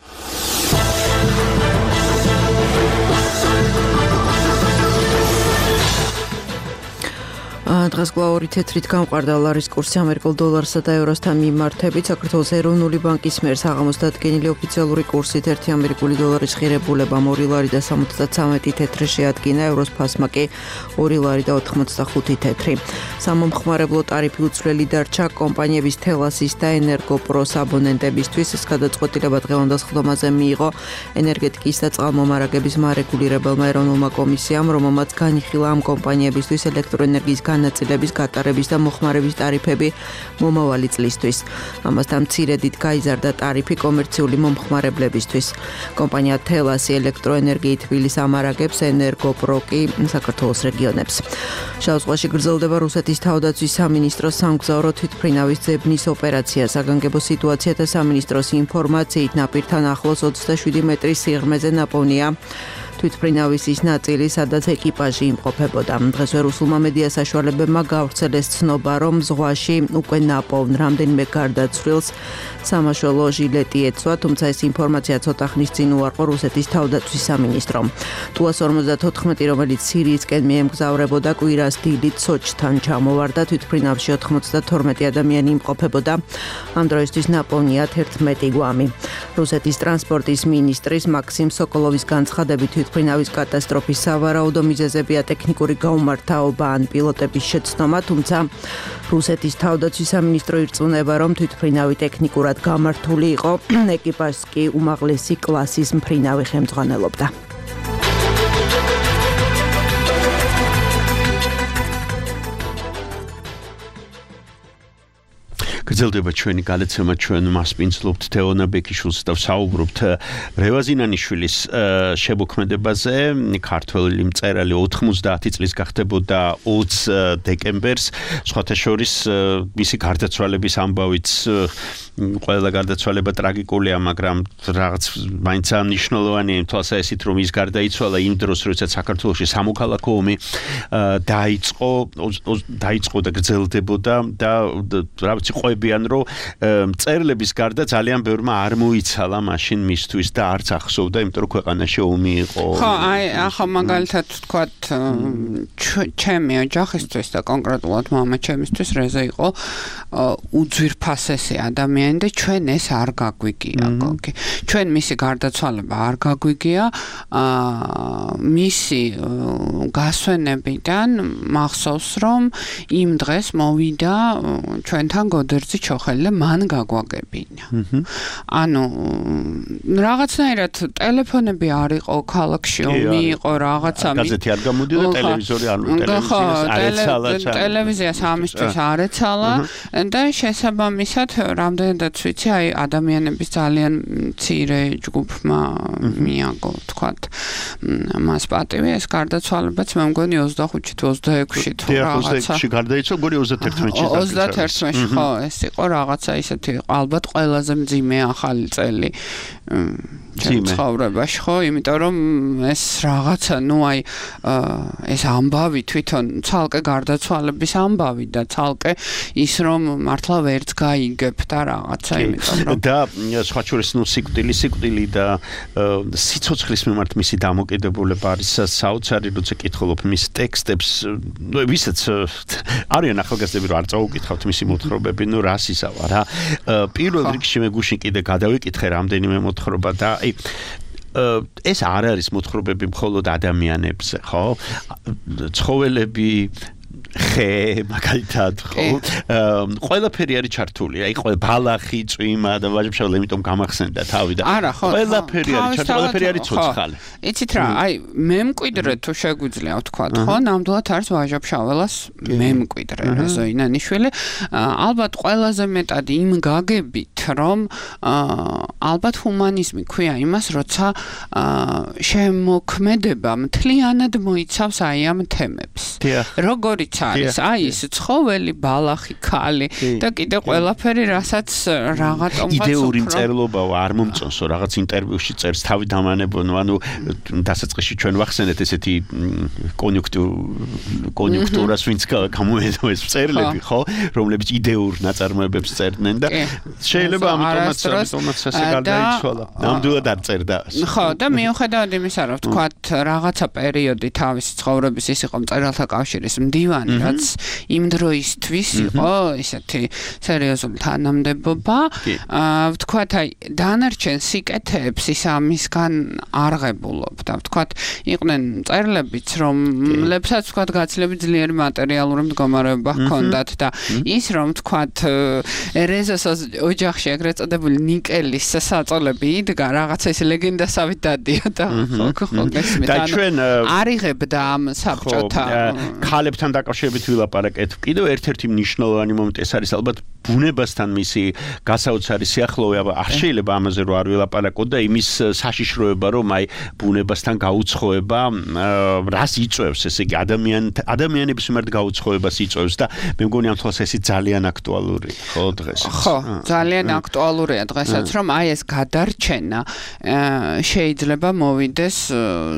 დღეს გლაური თეთრით გამყარდა ლარის კურსი ამერიკულ დოლარსა და ევროსთან მიმართებით. საქართველოს ეროვნული ბანკის მიერ საღამოს დადგენილი ოფიციალური კურსით ერთი ამერიკული დოლარის ღირებულებამ ორი ლარი და სამოცდაცამეტი თეთრი შეადგინა, ევროს ფასმა კი ორი ლარი და ოთხმოცდახუთი თეთრი. სამომხმარებლო ტარიფი უცვლელი დარჩა კომპანიების თელასის და ენერგოპროს აბონენტებისთვის. ეს გადაწყვეტილება დღევანდელ სხდომაზე მიიღო ენერგეტიკის და წყალმომარაგების მარეგულირებელმა ეროვნულმა კომისიამ, რომელმაც განიხილა ამ კომპანიებისთვის ელექტროენერგიის განათება ნაწილების გატარების და მოხმარების ტარიფები მომავალი წლისთვის. ამასთან მცირედით გაიზარდა ტარიფი კომერციული მომხმარებლებისთვის. კომპანია თელასი ელექტროენერგიით თბილის ამარაგებს, ენერგოპროკი საქართველოს რეგიონებს. შავ ზღვაში გრძელდება რუსეთის თავდაცვის სამინისტროს სამგზავრო თვითმფრინავის ძებნის ოპერაცია. საგანგებო სიტუაციათა სამინისტროს ინფორმაციით ნაპირთან ახლოს ოცდაშვიდი მეტრის სიღრმეზე ნაპოვნია თვითმფრინავის ის ნაწილი, სადაც ეკიპაჟი იმყოფებოდა. დღესვე რუსულმა მედია საშუალებებმა გავრცელეს ცნობა, რომ ზღვაში უკვე ნაპოვნ რამდენიმე გარდაცვლილს სამაშველო ჟილეტი ეცვა, თუმცა ეს ინფორმაცია ცოტა ხნის წინ უარყო რუსეთის თავდაცვის სამინისტრომ. ტუას ორმოცდათოთხმეტი, რომელიც სირიისკენ მიემგზავრებოდა, კვირას დილით სოჭთან ჩამოვარდა. თვითმფრინავში ოთხმოცდათორმეტი ადამიანი იმყოფებოდა. ამ დროისთვის ნაპოვნია თერთმეტი გვამი. რუსეთის ტრანსპორტის მინისტრის მაქსიმ სოკოლოვის განცხადებით თვითმფრინავის კატასტროფის სავარაუდო მიზეზებია ტექნიკური გაუმართავობა ან პილოტების შეცდომა, თუმცა რუსეთის თავდაცვის სამინისტრო ირწმუნება, რომ თვითმფრინავი ტექნიკურად გამართული იყო, ეკიპაჟს კი უმაღლესი კლასის მფრინავი ხელმძღვანელობდა. გრძელდება ჩვენი გადაცემა, ჩვენ მასპინძლობთ თეონა ბექიშვილს და ვსაუბრობთ რევაზინანიშვილის შემოქმედებაზე. ქართველი მწერალი ოთხმოცდაათი წლის გახდებოდა ოცი დეკემბერს, სხვათა შორის მისი გარდაცვალების ამბავიც ყველა გარდაცვალება ტრაგიკულია, მაგრამ რაღაც მაინც მნიშვნელოვანია იმ თვალსაზრისით, რომ ის გარდაიცვალა იმ დროს, როდესაც საქართველოში სამოქალაქო ომი დაიწყო, დაიწყო და გრძელდებოდა და რა ვიცი ყვებიან, რომ მწერლების გარდა ძალიან ბევრმა არ მოიცალა მაშინ მისთვის და არც ახსოვდა, იმიტომ რომ ქვეყანაში ომი იყო. ხო, აი, ახლა მაგალითად ვთქვათ, ჩემი ოჯახისთვის და კონკრეტულად მამა ჩემისთვის რეზა იყო უძვირფასესი ადამიანი და ჩვენ ეს არ გაგვიგია, გოგი. ჩვენ მისი გარდაცვალება არ გაგვიგია, მისი გასვენებიდან მახსოვს, რომ იმ დღეს მოვიდა ჩვენთან გოდერძი ჩოხელი და მან გაგვაგებინა. ანუ რაღაცნაირად ტელეფონები არ იყო ქალაქში, ომი იყო რაღაცა. გაზეთი არ გამოდიოდა, ტელევიზორი არ ტელევიზიას არ ეცალა. ტელევიზიას ამისთვის არ ეცალა და შესაბამისად რამდენადაც ვიცი, აი ადამიანების ძალიან მცირე ჯგუფმა მიაგო, თქვათ, მას პატივი ეს გარდაცვალებაც მე მგონი ოცდახუთში თუ ოცდაექვსში თუ რაღაცა. ოცდაექვსში გარდაიცვალა, მგონი ოცდათერთმეტში. ოცდათერთში, ხო, ეს იყო რაღაცა ისეთი, ალბათ ყველაზე მძიმე ახალი წელი ცხოვრებაში, ხო, იმიტომ რომ ეს რაღაცა, ნუ აი ეს ამბავი თვითონ ცალკე გარდაცვალების ამბავი და ცალკე ის რომ მართლა ვერც გაიგებ და რაღაცა, იმიტომ რომ და სხვა შორის ნუ სიკვდილი, სიკვდილი და სიცოცხლის მიმართ მისი დამოკიდებულება არის საოცარი, როცა კითხულობ მის ტექსტებს, ნუ ვისაც არიან ახალგაზრდები, რომ არ წაუკითხავთ მისი მოთხრობები, ნუ რას ისავა რა. პირველ რიგში მე გუშინ კიდე გადავიკითხე რამდენიმე მოთხრობა და აი ეს არ არის მოთხრობები მხოლოდ ადამიანებზე, ხო? ცხოველები ხე, მაგალითად, ხო? ყველაფერი არის ჩართული. აი, ყველა ბალახი, წვიმა და ვაჟებშავლა, იმიტომ გამახსენდა თავი და ყველაფერი არის ჩართული, ყველაფერი არის ცოცხალი. იცით რა, აი, მემკვიდრე თუ შეგვიძლია ვთქვა, ხო? ნამდვილად არის ვაჟებშაველას მემკვიდრე, ზოინანიშვილი. ალბათ ყველაზე მეტად იმ გაგებით, რომ ალბათ ჰუმანიზმი ქვია იმას, როცა შემოქმედება მთლიანად მოიცავს აი ამ თემებს. როგორიც არის, აი ეს ცხოველი, ბალახი, ქალი და კიდე ყველაფერი, რასაც რაღაცა იდეური მწერლობაა, არ მომწონსო, რაღაც ინტერვიუში წერს თავი დამანებონო, ანუ დასაწყისში ჩვენ ვახსენეთ ესეთი კონიუნქტურას, ვინც გამოედო ეს მწერლები, ხო, რომლებიც იდეურ ნაწარმოებებს წერდნენ და შეიძლება ამიტომაც ამიტომაც ასე გარდაიცვალა. ნამდვილად არ წერდა. ხო, და მიუხედავად იმისა, რომ ვთქვათ, რაღაცა პერიოდი თავისი ცხოვრების ის იყო მწერალთა კავშირის მდივანი, რაც იმ დროისთვის იყო ესეთი სერიოზული თანამდებობა. ვთქვათ, აი, დანარჩენ სიკეთეებს ის ამისგან არღებულობდა. ვთქვათ, იყვნენ მწერლებიც, რომლებსაც ვთქვათ, გაცილებით ძლიერი მატერიალური მდგომარეობა ჰქონდათ და ის რომ ვთქვათ, რეზოს ოჯახში ეგრეთ წოდებული ნიკელის საწოლები იდგა, რაღაცა ეს ლეგენდასავით დადიოდა. ხო, ხო, გესმით. და ჩვენ არიღებდა ამ საბჭოთა ქალებთან დაკავშირებით რომელიც ვილაპარაკეთ, კიდევ ერთ-ერთი მნიშვნელოვანი მომენტი ეს არის ალბათ ბუნებასთან მისი გასაოცარი სიახლოვე, არ შეიძლება ამაზე რო არ ვილაპარაკოთ და იმის საშიშროება, რომ აი ბუნებასთან გაუცხოება რას იწევს, ესე იგი ადამიან ადამიანების მიმართ გაუცხოებას იწევს და მე მგონი ამ თვალს ეს ძალიან აქტუალური ხო დღეს. ხო, ძალიან აქტუალურია დღესაც, რომ აი ეს გადარჩენა შეიძლება მოვიდეს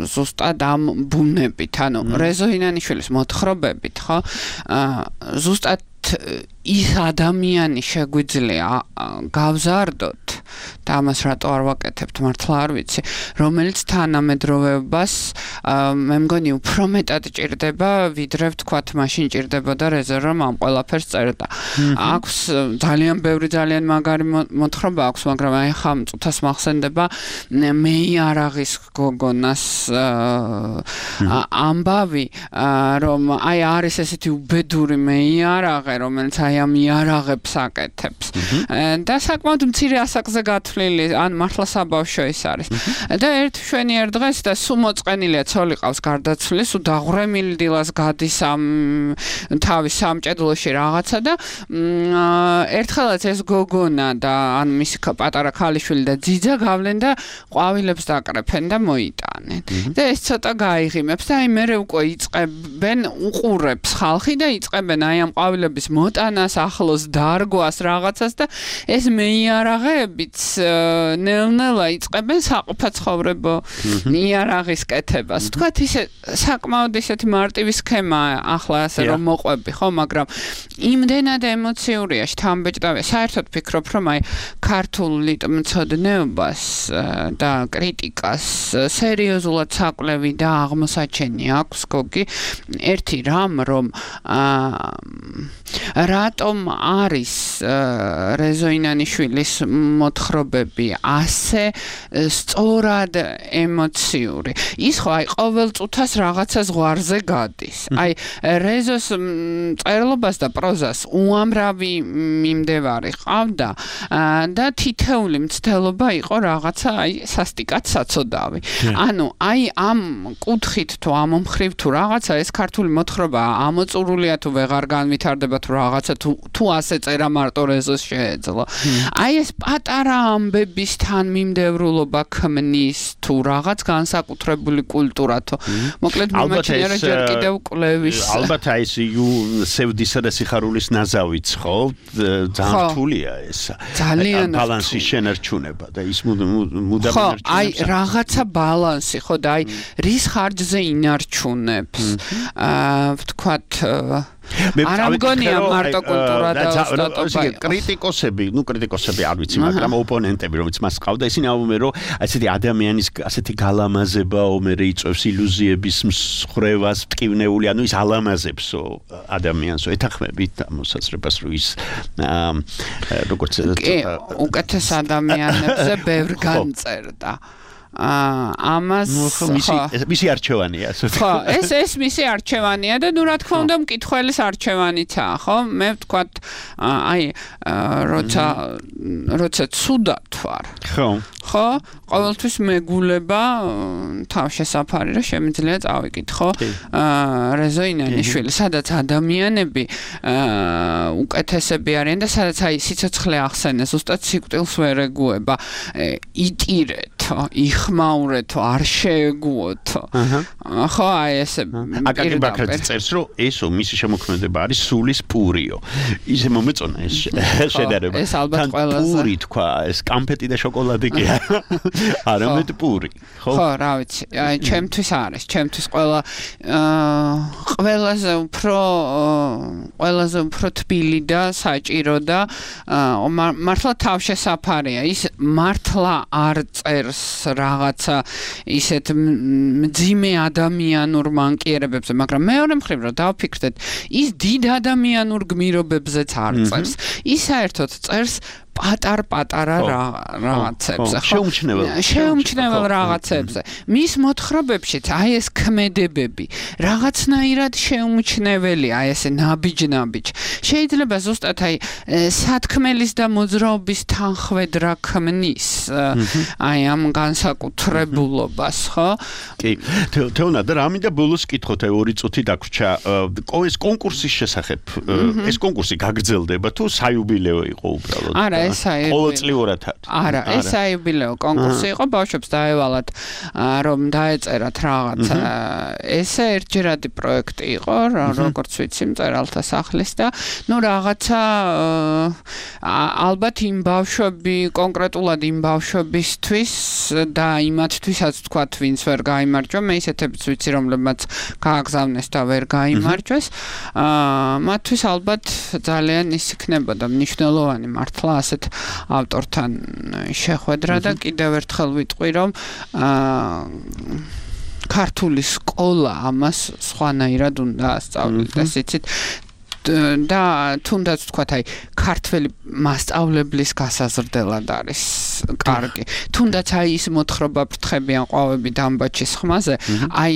ზუსტად ამ ბუნებით, ანუ რეზო ინანიშვილის მოთხრობებით, ხო? ზუსტად ის ადამიანი შეგვიძლია გავზარდოთ და ამას რატო არ ვაკეთებთ მართლა არ ვიცი, რომელიც თანამედროვეობას მე მგონი უფრო მეტად ჭირდება, ვიდრე ვთქვათ მაშინ ჭირდებოდა რეზო რომ ამ ყველაფერს წერდა. აქვს ძალიან ბევრი ძალიან მაგარი მოთხრობა აქვს, მაგრამ აი ხა მწუთას მახსენდება მეიარაღის გოგონას ამბავი, რომ აი არის ესეთი უბედური მეიარაღე, რომელიც აი ამ იარაღებს აკეთებს. და საკმაოდ მცირე ასაკზე გათვლილი, ან მართლა საბავშვო ის არის. და ერთ შვენიერ დღეს და სულ მოწყენილია ცოლი ყავს გარდაცვლილი, სულ დაღვრემილი დილას გადის ამ თავის სამჭედლოში რაღაცა და ერთხელაც ეს გოგონა და ან მისი პატარა ქალიშვილი და ძიძა გავლენ და ყვავილებს დაკრეფენ და მოიტანენ. და ეს ცოტა გაიღიმებს და აი მერე უკვე იწყებენ უყურებს ხალხი და იწყებენ აი ამ ყვავილების მოტანას, ახლოს დარგვას რაღაცას და ეს მეიარაღეებიც ნელ-ნელა იწყებენ საყოფაცხოვრებო იარაღის კეთებას. თქვათ ისე საკმაოდ ისეთი მარტივი სქემაა ახლა ასე რომ მოყვები, ხო, მაგრამ იმდენად ემოციურია, შთამბეჭდავია. საერთოდ ფიქრობ, რომ აი ქართულ ლიტმცოდნეობას და კრიტიკას სერიოზულად საკვლევი და აღმოსაჩენი აქვს გოგი. ერთი რამ, რომ რატომ არის რეზო ინანიშვილის მოთხრობები ასე სწორად ემოციური. ის ხო აი ყოველ წუთას რაღაცა ზღვარზე გადის. აი რეზოს წერლობას და პროზას უამრავი მიმდევარი ყავდა და თითეული მცდელობა იყო რაღაცა აი სასტიკად საცოდავი. ანუ აი ამ კუთხით თუ ამ მხრივ თუ რაღაცა ეს ქართული მოთხრობა ამოწურულია თუ ვეღარ განვითარდება თუ რაღაცა თუ თუ ასე წერა მარტო რეზოს შეეძლო. აი ეს პატარა ამბების თანმიმდევრულობა ქმნის თუ რაღაც განსაკუთრებული კულტურა თუ მოკლედ მიმაჩნია რომ ჯერ კიდევ კვლევის ალბათ აი ეს სევდისა და სიხარულის ნაზავიც ხო ძალიან რთულია ეს ძალიან ბალანსის შენარჩუნება და ის მუდამ ინარჩუნებს აი რაღაცა ბალანსი ხო და აი რის ხარჯზე ინარჩუნებს აა ვთქვათ არ ამგონია მარტო კულტურა და ოსტატობა. კრიტიკოსები, ну კრიტიკოსები არ ვიცი, მაგრამ ოპონენტები, რომელიც მას ყავდა, ისინი ამბობენ, რომ ასეთი ადამიანის ასეთი გალამაზება ომერე იწევს ილუზიების მსხრევას, ტკივნეული, ანუ ის ალამაზებსო ადამიანსო. ეთანხმებით ამ მოსაზრებას, რომ ის როგორც უკეთეს ადამიანებზე ბევრ განწერდა. ამას მისი არჩევანია ხო ეს ეს მისი არჩევანია და ნუ რა თქმა უნდა მკითხველის არჩევანიცაა ხო მე ვთქვათ აი როცა როცა ცუდად ვარ ხო ხო ყოველთვის მეგულება თავშესაფარი რომ შემიძლია წავიკითხო რეზო ინანიშვილი სადაც ადამიანები უკეთესები არიან და სადაც აი სიცოცხლე ახსენეს ზუსტად სიკვდილს ვერ ეგუება იტირეთო იხმაურეთო არ შეეგუოთო ხო აი ესე აკაკი ბაქრაძე წერს რომ ესო მისი შემოქმედება არის სულის პურიო ისე მომეწონა ეს შედარება ეს ალბათ ყველაზე პური თქვა ეს კამფეტი და შოკოლადი კი არამედ პური ხო ხო რა ვიცი აი ჩემთვის არის ჩემთვის ყველა ყველაზე უფრო ყველაზე უფრო თბილი და საჭირო და მართლა თავშესაფარია ის მართლა არ წერს რაღაცა ისეთ მძიმე ადამიანურ მანკიერებებზე მაგრამ მეორე მხრივ რომ დავფიქრდეთ ის დიდ ადამიანურ გმირობებზეც არ წერს ის საერთოდ წერს პატარ-პატარა რაღაცებზე, ხო? შეუმჩნევალ. შეუმჩნევალ რაღაცებზე. მის მოთხრობებშიც აი ეს ქმედებები რაღაცნაირად შეუმჩნეველია, აი ესე ნაბიჯ-ნაბიჯ. შეიძლება ზუსტად აი სათქმელის და მოძრაობის თანხwebdriver ქმნის აი ამ განსაკუთრებულობას, ხო? კი. თეონა და რამინდა ბოლოს კითხოთ ორი წუთი დაგვრჩა. ეს კონკურსის შესახებ, ეს კონკურსი გაგრძელდება თუ საიუბილეო იყო უბრალოდ? არა, ეს საიუბილეო. ყოველწლიურად. არა, ეს საიუბილეო კონკურსი იყო, ბავშვებს დაევალათ რომ დაეწერათ რაღაცა. ესე ერთჯერადი პროექტი იყო, როგორც ვიცი, მწერალთა სახლის და ნუ რაღაცა ალბათ იმ ბავშვები, კონკრეტულად იმ ბავშვებისთვის და იმათთვისაც თქვათ, ვინც ვერ გაიმარჯვა, მე ისეთებიც ვიცი, რომლებმაც გააგზავნეს და ვერ გაიმარჯვეს. აა მათთვის ალბათ ძალიან ის იქნებოდა მნიშვნელოვანი მართლა ასეთ ავტორთან შეხვედრა და კიდევ ერთხელ ვიტყვი, რომ აა ქართული სკოლა ამას სხვანაირად უნდა ასწავლოს, იცით? და თუნდაც თქვათ აი ქართველი მასწავლებლის გასაზრდელად არის კარგი. თუნდაც აი ის მოთხრობა ფრთხებიან ყვავები დამბაჩის ხმაზე, აი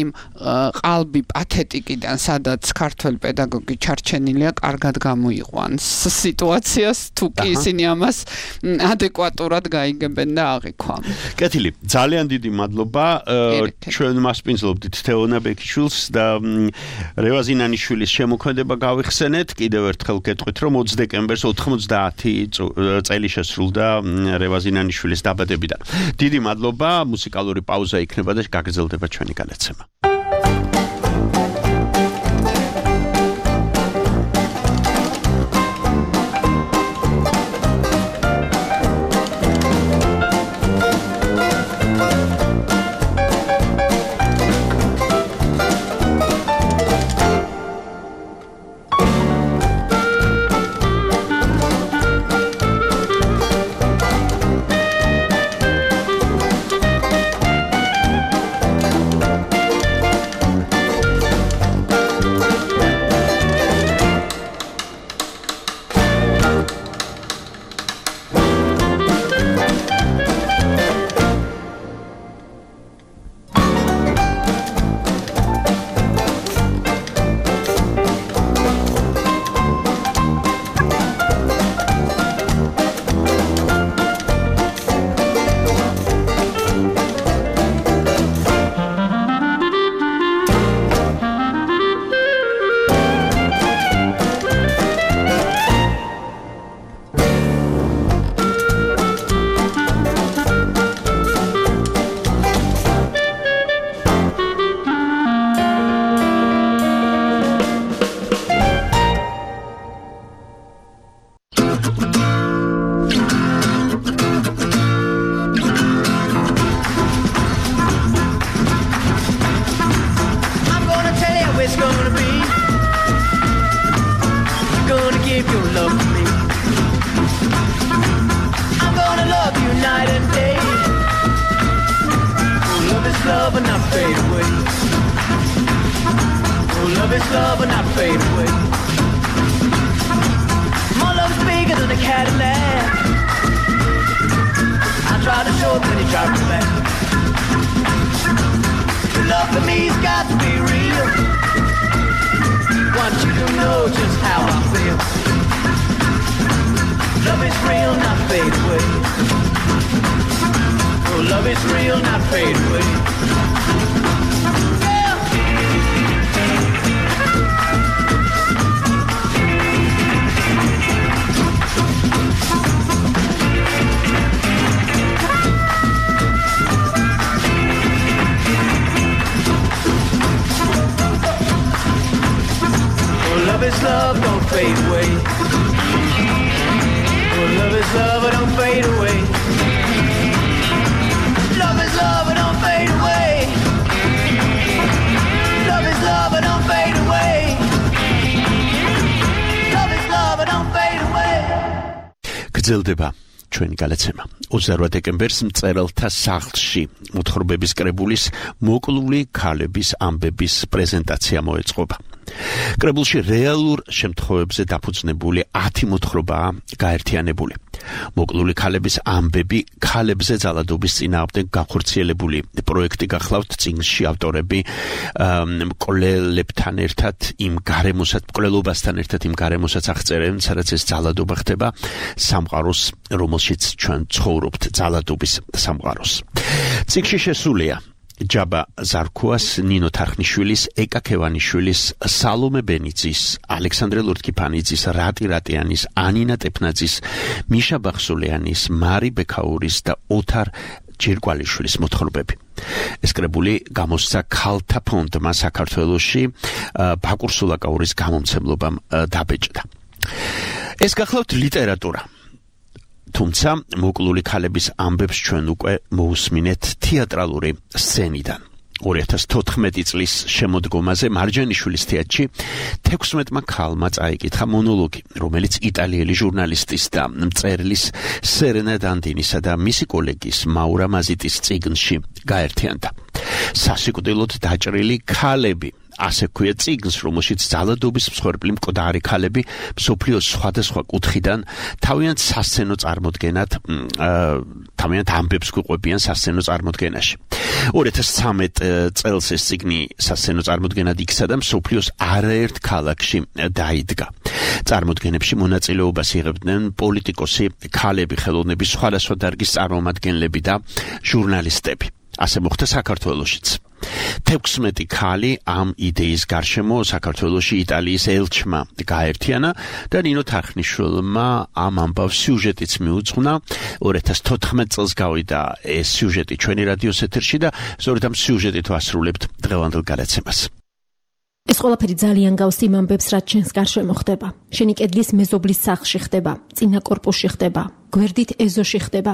ყალბი პათეტიკიდან, სადაც ქართველი პედაგოგი ჩარჩენილია, კარგად გამოიყვანს სიტუაციას, თუ კი ისინი ამას ადეკვატურად გაიგებენ და აღიქვამენ. კეთილი, ძალიან დიდი მადლობა. ჩვენ მასპინძლობდით თეონა ბექიშვილს და რევაზინანიშვილის შემოქმედება გავიხსენეთ. კიდევ ერთხელ გეტყვით, რომ ოცი დეკემბერს ოთხმოცდაათი წელი შესრულდა რევაზინანიშვილის დაბადებიდან. დიდი მადლობა, მუსიკალური პაუზა იქნება და გაგრძელდება ჩვენი განაცემა. გრძელდება ჩვენი განაცემა. ოცდაოთხ დეკემბერს მწერალთა სახლში მოთხრობების კრებულის მოკლული ქალების ამბების პრეზენტაცია მოეწყობა. კრებულში რეალურ შემთხვევებზე დაფუძნებული ათი მოთხრობაა გაერთიანებული. მოკლული ქალების ამბები ქალებზე ძალადობის წინააღმდეგ განხორციელებული პროექტი გახლავთ წიგნში ავტორები მკვლელებთან ერთად იმ გარემოსაც მკვლელობასთან ერთად იმ გარემოსაც აღწერენ, სადაც ეს ძალადობა ხდება სამყაროს, რომელშიც ჩვენ ცხოვრობთ, ძალადობის სამყაროს. წიგნში შესულია ჯაბა ზარქუას, ნინო თარხნიშვილის, ეკა ქევანიშვილის, სალომე ბენიძის, ალექსანდრე ლურტკიფანიძის, რატი რატიანის, ანინა ტეფნაძის, მიშა ბახსულიანის, მარი ბექაურის და ოთარ ჯირკვალიშვილის მოთხრობები. ეს კრებული გამოსცა ქალთა ფონდმა საქართველოში ბაკურ სულაკაურის გამომცემლობამ დაბეჭდა. ეს გახლავთ ლიტერატურა. თუმცა მოკლული ქალების ამბებს ჩვენ უკვე მოусმინეთ თეატრალური სცენიდან. ორი ათას თოთხმეტი წლის შემოდგომაზე მარჯანიშვილის თეატრში თექვსმეტმა ქალმა წაიკითხა მონოლოგი, რომელიც იტალიელი ჟურნალისტის და მწერლის სერენა დანდინისა და მისი კოლეგის მაურა მაზიტის წიგნში გაერთიანდა. სასიკვდილოდ დაჭრილი ქალები. ასე ქვია წიგნს, რომელშიც ძალადობის მსხვერპლი მკვდარი ქალები მსოფლიოს სხვადასხვა კუთხიდან თავიანთ სასცენო წარმოდგენად თავიანთ ამბებს გვიყვებიან სასცენო წარმოდგენაში. ორი ათას ცხრამეტ წელს ეს წიგნი სასცენო წარმოდგენად იქცა და მსოფლიოს არაერთ ქალაქში დაიდგა. წარმოდგენებში მონაწილეობას იღებდნენ პოლიტიკოსი, ქალები, ხელოვნების სხვადასხვა დარგის წარმომადგენლები და ჟურნალისტები. ასე მოხდა საქართველოშიც. თექვსმეტი ქალი ამ იდეის გარშემო საქართველოში იტალიის ელჩმა გაერთიანა და ნინო თარხნიშვილმა ამ ამბავს სიუჟეტიც მიუძღვნა. ორი ათას თოთხმეტ წელს გავიდა ეს სიუჟეტი ჩვენი რადიოს ეთერში და სწორედ ამ სიუჟეტით ვასრულებთ დღევანდელ გადაცემას. ეს ყველაფერი ძალიან გავს იმ ამბებს, რაც ჩვენს გარშემო ხდება. შენი კედლის მეზობლის სახლში ხდება, წინა კორპუსში ხდება, გვერდით ეზოში ხდება.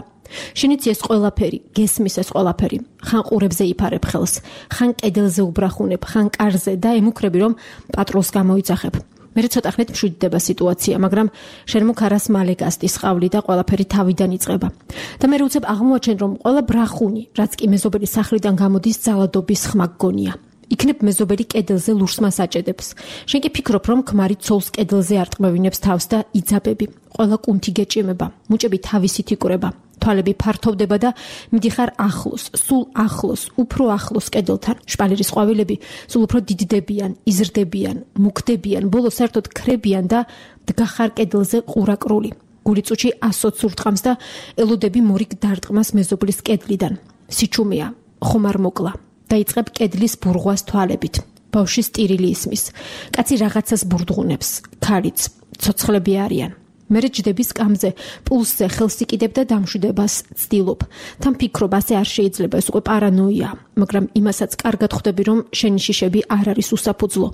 შენიც ეს ყველაფერი, გესმის ეს ყველაფერი, ხან ყურებზე იფარებ ხელს, ხან კედელზე უბრახუნებ, ხან კარზე და ემუქრები, რომ პატრულს გამოიძახებ. მე ცოტა ხნით მშვიდდება სიტუაცია, მაგრამ შენ მუქარას მალე გასტის ყავლი და ყველაფერი თავიდან იწყება. და მე უცებ აღმოაჩენ, რომ ყველა ბრახუნი, რაც კი მეზობელი სახლიდან გამოდის, ძალადობის ხმა გგონია. იქნებ მეზობელი კედელზე ლურს მას აჭედებს. შენ კი ფიქრობ, რომ ქმარი ცოლს კედელზე არტყმევინებს თავს და იძაბები. ყველა კუნთი გეჭიმება, მუჭები თავისით იკვრება. თვალები ფართოვდება და მიდიხარ ახლოს, სულ ახლოს, უფრო ახლოს კედელთან. შპალერის ყვავილები სულ უფრო დიდდებიან, იზრდებიან, მუქდებიან, ბოლოს საერთოდ ქრებიან და დგახარ კედელზე ყურაკრული. გულიწუჩი ასოც ურტყამს და ელოდები მორიგ დარტყმას მეზობლის კედლიდან. სიჩუმეა, ხომარ მოკლა. დაიწყებ კედლის ბურღვას თვალებით. ბავშვის ტირილი ისმის. კაცი რაღაცას ბურდღუნებს, ქარიც, ცოცხლები არიან. მერე ჯდების კამზე, პულსზე ხელს იკიდებ და დამშვიდებას ცდილობ. თან ფიქრობ, ასე არ შეიძლება, ეს უკვე პარანოია, მაგრამ იმასაც კარგად ხვდები, რომ შენი შიშები არ არის უსაფუძვლო.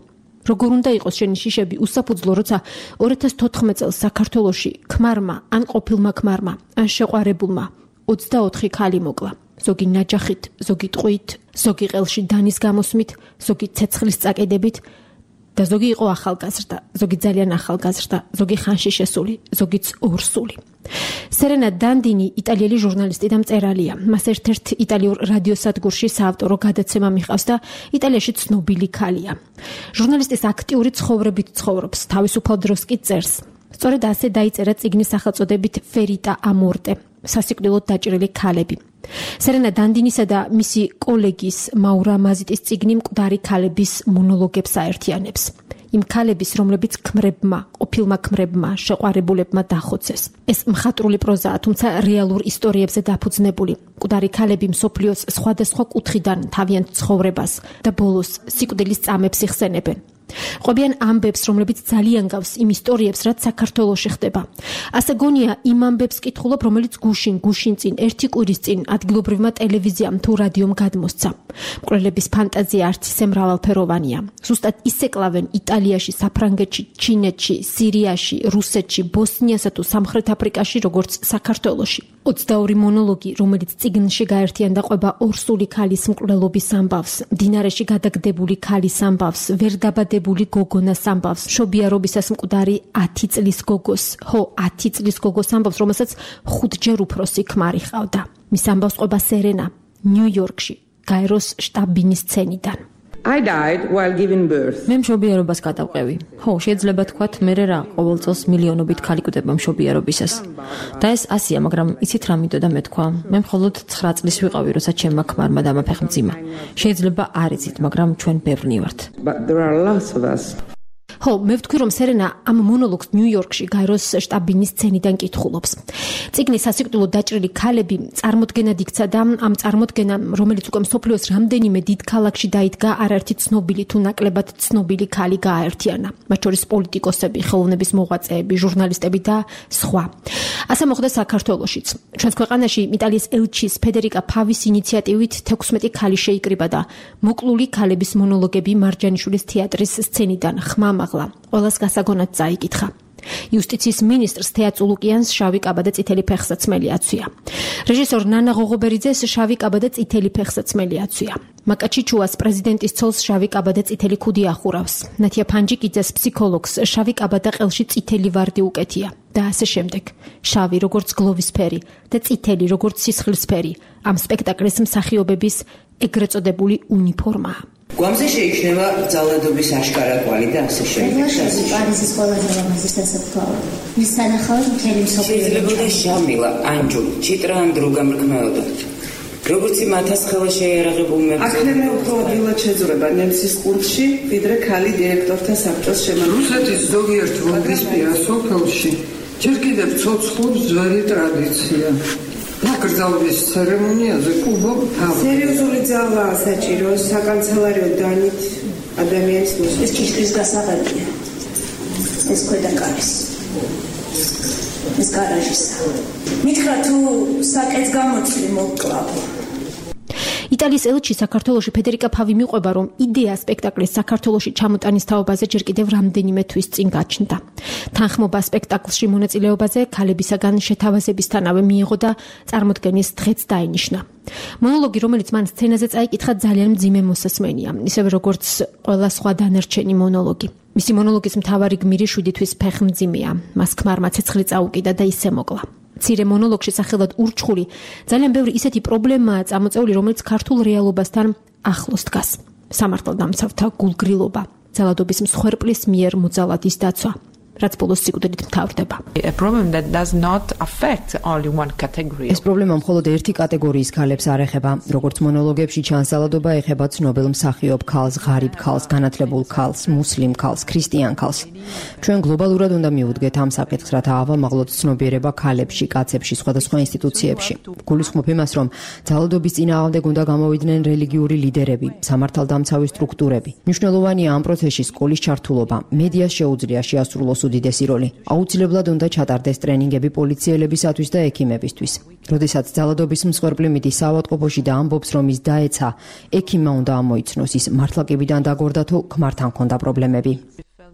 როგორ უნდა იყოს შენი შიშები უსაფუძვლო, როცა ორი ათას თოთხმეტ წელს საქართველოში ქმარმა, ან ყოფილმა ქმარმა, ან შეყვარებულმა ოცდაოთხი ქალი მოკლა. ზოგი ნაჯახით, ზოგი ტყვით, ზოგი ყელში დანის გამოსმით, ზოგი ცეცხლის წაკედებით და ზოგი იყო ახალგაზრდა, ზოგი ძალიან ახალგაზრდა, ზოგი ხანში შესული, ზოგიც ორსული. სერენა დანდინი იტალიელი ჟურნალისტი და მწერალია. მას ერთ-ერთ იტალიურ რადიოსადგურში საავტორო გადაცემა მიჰყავს და იტალიაში ცნობილი ქალია. ჟურნალისტის აქტიური ცხოვრებით ცხოვრობს, თავისუფალ დროს კი წერს. სწორედ ასე დაიწერა წიგნის სახელწოდებით ფერიტა ამორტე, სასიკვდილოდ დაჭრილი ქალები. სერენა დანდინისა და მისი კოლეგის მაურა მაზიტის წიგნი მკვდარი ქალების მონოლოგებს აერთიანებს. იმ ქალების, რომლებიც ქმრებმა, ყოფილმა ქმრებმა, შეყვარებულებმა დახოცეს. ეს მხატვრული პროზაა, თუმცა რეალურ ისტორიებზე დაფუძნებული. მკვდარი ქალები მსოფლიოს სხვადასხვა კუთხიდან თავიანთ ცხოვრებას და ბოლოს სიკვდილის წამებს იხსენებენ. ყვებიან ამბებს, რომლებიც ძალიან გავს იმ ისტორიებს, რაც საქართველოში ხდება. ასე გონია იმ ამბებს კითხულობ, რომელიც გუშინ, გუშინ წინ, ერთი კვირის წინ ადგილობრივმა ტელევიზიამ თუ რადიომ გადმოსცა. მკვლელების ფანტაზია არც ისე მრავალფეროვანია. ზუსტად ისე კლავენ იტალიაში, საფრანგეთში, ჩინეთში, სირიაში, რუსეთში, ბოსნიასა თუ სამხრეთ აფრიკაში, როგორც საქართველოში. ოცდაორი მონოლოგი, რომელიც წიგნში გაერთიანდა ყვება ორსული ქალის მკვლელობის ამბავს, მდინარეში გადაგდებული ქალის ამბავს, ვერ დაბადებული გოგონას ამბავს, მშობიარობისას მკვდარი ათი წლის გოგოს, ხო, ათი წლის გოგოს ამბავს, რომელსაც ხუთჯერ უფროსი ქმარი ჰყავდა. მის ამბავს ყვება სერენა, ნიუ-იორკში, გაეროს შტაბ-ბინის სცენიდან. I died while giving birth. მე მშობიარობას გადავყევი. ხო, შეიძლება თქვათ, მე რა, ყოველ წელს მილიონობით ქალი კვდება მშობიარობისას. და ეს ასია, მაგრამ იცით რა მინდოდა მე თქვა? მე მხოლოდ ცხრა წლის ვიყავი, როცა ჩემმა ქმარმა დამაფეხმძიმა. შეიძლება არ იცით, მაგრამ ჩვენ ბევრნი ვართ. But there are lots of us. ხო, მე ვთქვი, რომ სერენა ამ მონოლოგს ნიუ-იორკში გაეროს შტაბინის სცენიდან კითხულობს. წიგნი სასიკვდილო დაჭრილი ქალები წარმოდგენად იქცა და ამ წარმოდგენამ, რომელიც უკვე მსოფლიოს რამდენიმე დიდ ქალაქში დაიდგა, არაერთი ცნობილი თუ ნაკლებად ცნობილი ქალი გააერთიანა. მათ შორის პოლიტიკოსები, ხელოვნების მოღვაწეები, ჟურნალისტები და სხვა. ასე მოხდა საქართველოშიც. ჩვენს ქვეყანაში იტალიის ელჩის ფედერიკა ფავის ინიციატივით თექვსმეტი ქალი შეიკრიბა და მოკლული ქალების მონოლოგები მარჯანიშვილის თეატრის სცენიდან ხმამაღლა ყველას გასაგონად წაიკითხა. იუსტიციის მინისტრს თეა წულუკიანს შავი კაბა და წითელი ფეხსაცმელი აცვია. რეჟისორ ნანა ღოღობერიძეს შავი კაბა და წითელი ფეხსაცმელი აცვია. მაკაჩიჩუას პრეზიდენტის ცოლს შავი კაბა და წითელი ქუდი ახურავს. ნათია ფანჯიკიძეს ფსიქოლოგს შავი კაბა და ყელში წითელი ვარდი უკეთია. და ასე შემდეგ. შავი როგორც გლოვისფერი და წითელი როგორც სისხლისფერი ამ სპექტაკლის მსახიობების ეგრეთ წოდებული უნიფორმაა. გვამზე შეიჩნევა ძალადობის აშკარა კვალი და ასე შემდეგ. პარიზის ყველაზე ლამაზი სასაფლაო. მის სანახავად მთელი მსოფლიო შეიძლებოდა ჟამილა, ანჯული, ჩიტრა ან დრუგა მრქმეოდა. როგორც იმათას ხელა შეიარაღებულ მებრძოლ. აქნემე უფრო ადვილად შეძვრება ნემსის კურსში, ვიდრე ქალი დირექტორთა საბჭოს შემადგენლობა. რუსეთის ზოგიერთ ვალდისპირა სოფელში ჯერ კიდევ ცოცხლობს ძველი ტრადიცია. დაკრძალვის ცერემონიაზე კუბო თავი. სერიოზული ძალაა საჭირო საკანცელერიო დანით ადამიანის მოსვლა. ეს ჭიშკრის გასაღებია. ეს ქვედაკარის. ეს გარაჟისა. მითხრა თუ საკეთს გამოცვლი მოკლავ. იტალიის ელჩი საქართველოში ფედერიკა ფავი მიყვება, რომ იდეა სპექტაკლის საქართველოში ჩამოტანის თაობაზე ჯერ კიდევ რამდენიმე თვის წინ გაჩნდა. თანხმობა სპექტაკლში მონაწილეობაზე ქალებისაგან შეთავაზებისთანავე მიიღო და წარმოდგენის დღეც დაინიშნა. მონოლოგი, რომელიც მან სცენაზე წაიკითხა, ძალიან მძიმე მოსასმენია, ისევე როგორც ყველა სხვა დანარჩენი მონოლოგი. მისი მონოლოგის მთავარი გმირი შვიდი თვის ფეხმძიმეა. მას ქმარმა ცეცხლი წაუკიდა და ისე მოკლა. მცირე მონოლოგში სახელად ურჩხული ძალიან ბევრი ისეთი პრობლემაა წამოწეული, რომელიც ქართულ რეალობასთან ახლოს დგას. სამართალდამცავთა გულგრილობა, ძალადობის მსხვერპლის მიერ მოძალადის დაცვა, რაც ბოლოს სიკვდილით მთავრდება. ეს პრობლემა მხოლოდ ერთი კატეგორიის ქალებს არ ეხება, როგორც მონოლოგებში ჩანს, ძალადობა ეხება ცნობილ მსახიობ ქალს, ღარიბ ქალს, განათლებულ ქალს, მუსლიმ ქალს, ქრისტიან ქალს. ჩვენ გლობალურად უნდა მივუდგეთ ამ საკითხს, რათა ავამაღლოთ ცნობიერება ქალებში, კაცებში, სხვადასხვა ინსტიტუციებში. გულისხმობ იმას, რომ ძალადობის წინააღმდეგ უნდა გამოვიდნენ რელიგიური ლიდერები, სამართალდამცავი სტრუქტურები. მნიშვნელოვანია ამ პროცესში სკოლის ჩართულობა, მედიას შეუძლია შეასრულოს უდიდესი როლი. აუცილებლად უნდა ჩატარდეს ტრენინგები პოლიციელებისათვის და ექიმებისთვის. როდესაც ძალადობის მსხვერპლი მიდის საავადმყოფოში და ამბობს, რომ ის დაეცა, ექიმმა უნდა ამოიცნოს, ის მართლაკებიდან დაგორდა თუ ქმართან ჰქონდა პრობლემები.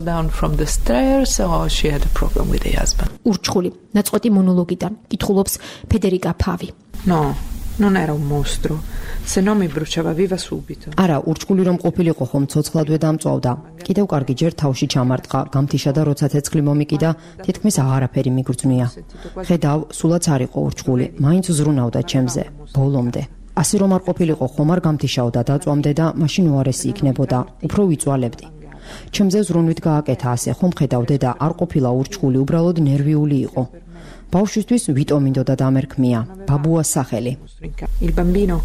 down from the stairs or she had a problem with her husband. ურჩხული, ნაწყვეტი მონოლოგიდან კითხულობს ფედერიკა ფავი. No, non era un mostro. Se no mi bruciava viva subito. არა, ურჩხული რომ ყოფილიყო, ხომ ცოცხლადვე დამწვავდა. კიდევ კარგი ჯერ თავში ჩამარტყა, გამთიშა და როცა ცეცხლი მომიკიდა, თითქმის აღარაფერი მიგრძვნია. ხედავ, სულაც არ იყო ურჩხული, მაინც ზრუნავდა ჩემზე, ბოლომდე. ასე რომ არ ყოფილიყო, ხომ არ გამთიშაოდა, დაწვამდე და მაშინ უარესი იქნებოდა, უფრო ვიწვალებდი. ჩემზე ზრუნვით გააკეთა ასე, ხომ ხედავდე და არ ყოფილა ურჩხული, უბრალოდ ნერვიული იყო. ბავშვისთვის ვიტო მინდოდა დამერქმია, ბაბუას სახელი. Il bambino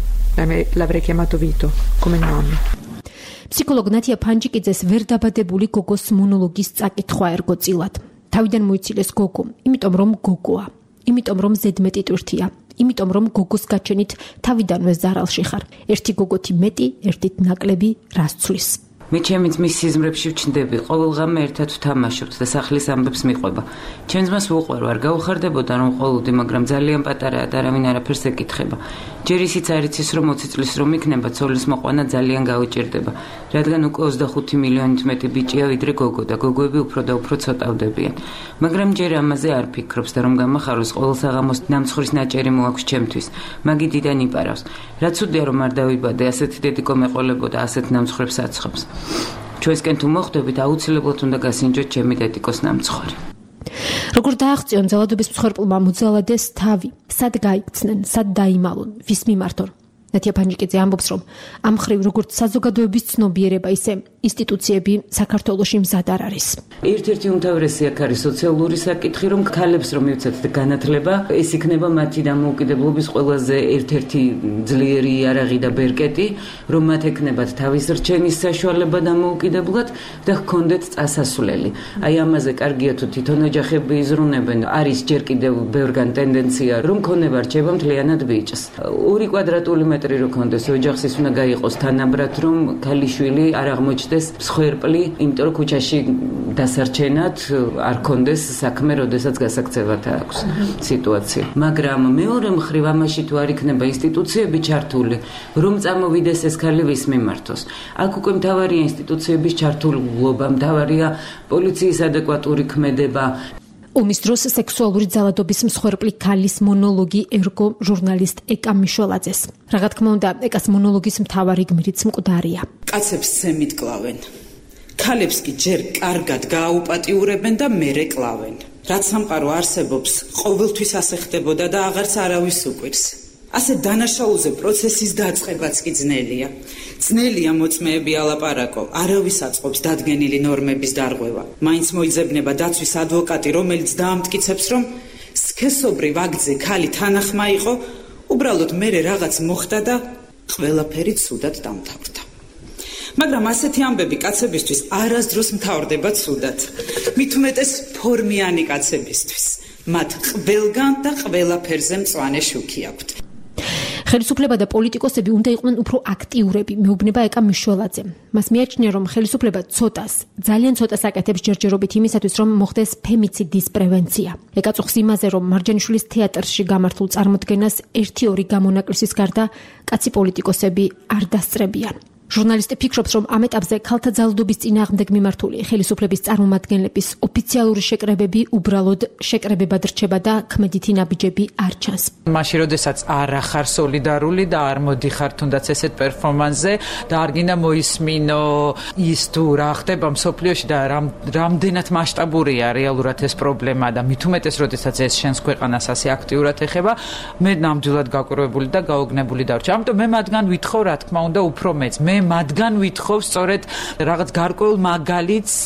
l'avrei chiamato Vito, come nonno. ფსიქოლოგ ნათია ფანჯიკიძეს ვერ დაბადებული გოგოს მონოლოგის წაკითხვა ერგო წილად. თავიდან მოიცილეს გოგო, იმიტომ რომ გოგოა, იმიტომ რომ ზედმეტი ტვირთია, იმიტომ რომ გოგოს გაჩენით თავიდანვე ზარალში ხარ. ერთი გოგოთი მეტი, ერთით ნაკლები რას ცვლის. მე ჩემი ძმის სიზმრებში ვჩნდები, ყოველღამე ერთად ვთამაშობთ და სახლის ამბებს მიყვება. ჩემს მას ვუყვარ, არ გაუხარდებოდა რომ ყოლოდი, მაგრამ ძალიან პატარაა და არავინ არაფერს ეკითხება. ჯერ ისიც არ იცის რომ ოცი წლის რომ იქნება, ცოლის მოყვანა ძალიან გაუჭირდება, რადგან უკვე ოცდახუთი მილიონით მეტი ბიჭია ვიდრე გოგო და გოგოები უფრო და უფრო ცოტავდებიან. მაგრამ ჯერ ამაზე არ ფიქრობს და რომ გამახაროს ყოველ საღამოს ნამცხვრის ნაჭერი მოაქვს ჩემთვის. მაგი დიდან იპარავს. რა ცუდია რომ არ დავიბადე, ასეთი დედიკო მეყოლებოდა, ასეთ ნამცხრებს აცხობს. ჩვენსკენ თუ მოხვდებით, აუცილებლად უნდა გასინჯოთ ჩემი დედიკოს ნამცხვარი. როგორ დააღწიონ ძალადობის მსხვერპლმა მოძალადეს თავი, სად გაიქცნენ, სად დაიმალონ, ვის მიმართონ. ნათია ფანჯიკიძე ამბობს, რომ ამ ხრივ როგორც საზოგადოების ცნობიერება, ისე ინსტიტუციები საქართველოში მზად არ არის. ერთ-ერთი უმთავრესი აქ არის სოციალური საკითხი, რომ ქალებს რომ მივცეთ განათლება, ეს იქნება მათი დამოუკიდებლობის ყველაზე ერთ-ერთი ძლიერი იარაღი და ბერკეტი, რომ მათ ექნებათ თავის რჩენის საშუალება დამოუკიდებლად და ჰქონდეთ წასასვლელი. აი ამაზე კარგია თუ თვითონ ოჯახები იზრუნებენ, არის ჯერ კიდევ ბევრგან ტენდენცია, რომ ქონება რჩება მთლიანად ბიჭს. ორი კვადრატული მეტრი რო ქონდეს ოჯახს, ის უნდა გაიყოს თანაბრად, რომ ქალიშვილი არ აღმოჩნდეს მსხვერპლი, იმიტომ რომ ქუჩაში დასარჩენად არ ქონდეს საქმე, როდესაც გასაქცევად აქვს სიტუაცია. მაგრამ მეორე მხრივ ამაში თუ არ იქნება ინსტიტუციები ჩართული, რომ წამოვიდეს ეს ქალი ვის მიმართოს. აქ უკვე მთავარია ინსტიტუციების ჩართულობა, მთავარია პოლიციის ადეკვატური ქმედება. ომის დროს სექსუალური ძალადობის მსხვერპლი ქალის მონოლოგი ერგო ჟურნალისტ ეკა მიშველაძეს. რა თქმა უნდა, ეკას მონოლოგის მთავარი გმირიც მკვდარია. კაცებს ზემით კლავენ. ქალებს კი ჯერ კარგად გააუპატიურებენ და მერე კლავენ. რაც სამყარო არსებობს, ყოველთვის ასე ხდებოდა და აღარც არავის უკვირს. ასე დანაშაულზე პროცესის დაწყებაც კი ძნელია. ძნელია მოწმეები ალაპარაკო, არავის აწყობს დადგენილი ნორმების დარღვევა. მაინც მოიძებნება დაცვის ადვოკატი, რომელიც დაამტკიცებს, რომ სქესობრივ აქტზე ქალი თანახმა იყო, უბრალოდ მერე რაღაც მოხდა და ყველაფერი ცუდად დამთავრდა. მაგრამ ასეთი ამბები კაცებისთვის არასდროს მთავრდება ცუდად. მით უმეტეს ფორმიანი კაცებისთვის. მათ ყველგან და ყველაფერზე მწვანე შუქი აქვთ. ხელისუფლება და პოლიტიკოსები უნდა იყვნენ უფრო აქტიურები, მეუბნება ეკა მიშველაძე. მას მიაჩნია, რომ ხელისუფლება ცოტას, ძალიან ცოტას აკეთებს ჯერჯერობით იმისათვის, რომ მოხდეს ფემიციდის პრევენცია. ეკა წუხს იმაზე, რომ მარჯანიშვილის თეატრში გამართულ წარმოდგენას ერთი-ორი გამონაკლისის გარდა კაცი პოლიტიკოსები არ დასწრებიან. ჟურნალისტი ფიქრობს, რომ ამ ეტაპზე ქალთა ძალადობის წინააღმდეგ მიმართული ხელისუფლების წარმომადგენლების ოფიციალური შეკრებები უბრალოდ შეკრებებად რჩება და ქმედითი ნაბიჯები არ ჩანს. მაშინ, როდესაც არ ახარ სოლიდარული და არ მოდიხარ თუნდაც ესეთ პერფორმანსზე და არ გინდა მოისმინო ის თუ რა ხდება მსოფლიოში და რამ რამდენად მასშტაბურია რეალურად ეს პრობლემა და მით უმეტეს, როდესაც ეს შენს ქვეყანას ასე აქტიურად ეხება, მე ნამდვილად გაკვირვებული და გაოგნებული დარჩა. ამიტომ მე მათგან ვითხოვ, რა თქმა უნდა, უფრო მეც. მე მათგან ვითხოვ სწორედ რაღაც გარკვეულ მაგალითს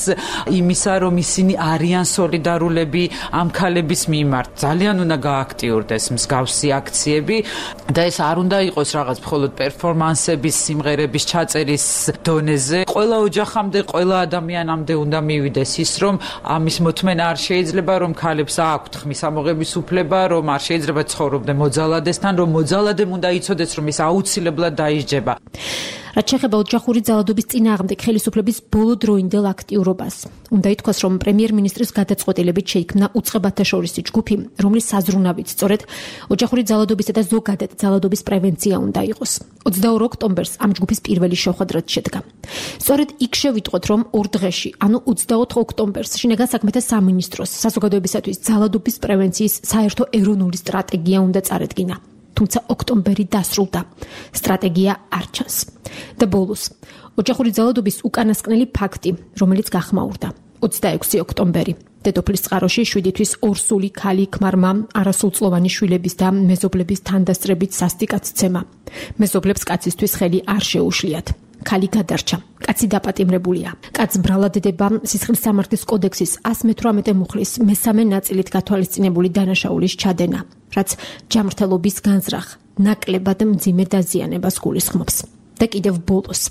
იმისა, რომ ისინი არიან სოლიდარულები ამ ქალების მიმართ. ძალიან უნდა გააქტიურდეს მსგავსი აქციები და ეს არ უნდა იყოს რაღაც მხოლოდ პერფორმანსების, სიმღერების ჩაწერის დონეზე. ყველა ოჯახამდე, ყველა ადამიანამდე უნდა მივიდეს ის, რომ ამის მოთმენა არ შეიძლება, რომ ქალებს აქვთ ხმის ამოღების უფლება, რომ არ შეიძლება ცხოვრობდნენ მოძალადესთან, რომ მოძალადემ უნდა იცოდეს, რომ ის აუცილებლად დაისჯება. რაც შეეხება ოჯახური ძალადობის წინააღმდეგ ხელისუფლების ბოლოდროინდელ აქტიურობას. უნდა ითქვას, რომ პრემიერ-მინისტრის გადაწყვეტილებით შეიქმნა უწყებათა შორისი ჯგუფი, რომლის საზრუნავით სწორედ ოჯახური ძალადობისა და ზოგადად ძალადობის პრევენცია უნდა იყოს. ოცდაორ ოქტომბერს ამ ჯგუფის პირველი შეხვედრაც შედგა. სწორედ იქ შევიტყვეთ, რომ ორ დღეში, ანუ ოცდაოთხ ოქტომბერს შინაგან საქმეთა სამინისტროს საზოგადოებისათვის ძალადობის პრევენციის საერთო ეროვნული სტრატეგია უნდა წარედგინა. თუმცა ოქტომბერი დასრულდა. სტრატეგია არ ჩანს. და ბოლოს, ოჯახური ძალადობის უკანასკნელი ფაქტი, რომელიც გახმაურდა. ოცდაექვსი ოქტომბერი. დედოფლის წყაროში შვიდი თვის ორსული ქალი ქმარმა არასრულწლოვანი შვილების და მეზობლების თანდასწრებით სასტიკაცცემა. მეზობლებს კაცისთვის ხელი არ შეუშლიათ. ქალი გადარჩა. კაცი დაპატიმრებულია. კაცს ბრალადდება სისხლის სამართლის კოდექსის ას მეთვრამეტე მუხლის მესამე ნაწილით გათვალისწინებული დანაშაულის ჩადენა, რაც ჯამრთელობის განზრახ, ნაკლებად მძიმე დაზიანებას გულისხმობს. და კიდევ ბოლოს.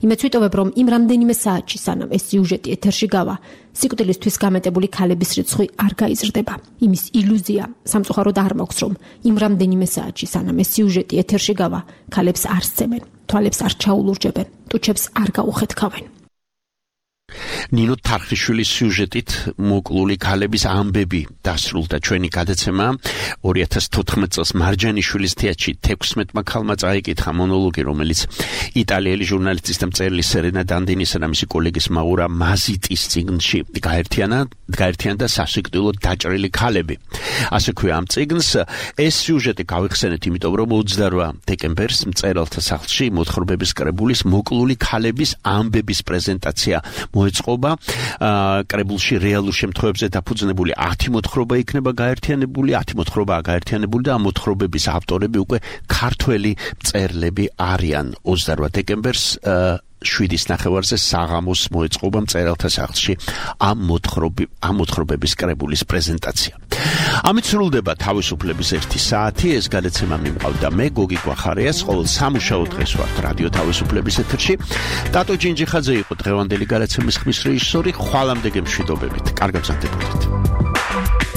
იმეც ვიტოვებ, რომ იმ რამდენიმე საათში, სანამ ეს სიუჟეტი ეთერში გავა, სიკვდილისთვის გამეტებული ქალების რიცხვი არ გაიზრდება. იმის ილუზია სამწუხაროდ არ მაქვს, რომ იმ რამდენიმე საათში, სანამ ეს სიუჟეტი ეთერში გავა, ქალებს არ სცემენ, თვალებს არ ჩაულურჯებენ, ტუჩებს არ გაუხეთქავენ. ნინო თარხიშვილის სიუჟეტით მოკლული ქალების ამბები დასრულდა ჩვენი გადაცემა. ორი ათას თოთხმეტ წელს მარჯანიშვილის თეატრში თექვსმეტმა ქალმა წაიკითხა მონოლოგი, რომელიც იტალიელი ჟურნალისტის და მწერლის სერენა დანდინისა და მისი კოლეგის მაურა მაზიტის წიგნში გაერთიანა გაერთიანდა სასიკვდილო დაჭრილი ქალები. ასე ქვია ამ წიგნს. ეს სიუჟეტი გავიხსენეთ, იმიტომ რომ ოცდარვა დეკემბერს მწერალთა სახლში მოთხრობების კრებულის მოკლული ქალების ამბების პრეზენტაცია მოეწყობა კრებულში რეალურ შემთხვევებზე დაფუძნებული ათი მოთხრობა იქნება გაერთიანებული, ათი მოთხრობაა გაერთიანებული და ამ მოთხრობების ავტორები უკვე ქართველი მწერლები არიან. ოცდაოთხ დეკემბერს შვიდის ნახევარზე საღამოს მოეწყობა მწერალთა სახლში ამ მოთხრობი ამ მოთხრობების კრებულის პრეზენტაცია. ამით სრულდება თავისუფლების ერთი საათი. ეს გადაცემა მიმყავდა მე გოგი გვახარიას, ყოველ სამუშაო დღეს ვართ რადიო თავისუფლების ეთერში. ტატო ჯინჯიხაძე იყო დღევანდელი გადაცემის ხმის რეჟისორი. ხვალამდე გემშვიდობებით. კარგად გრძელდებოდეთ.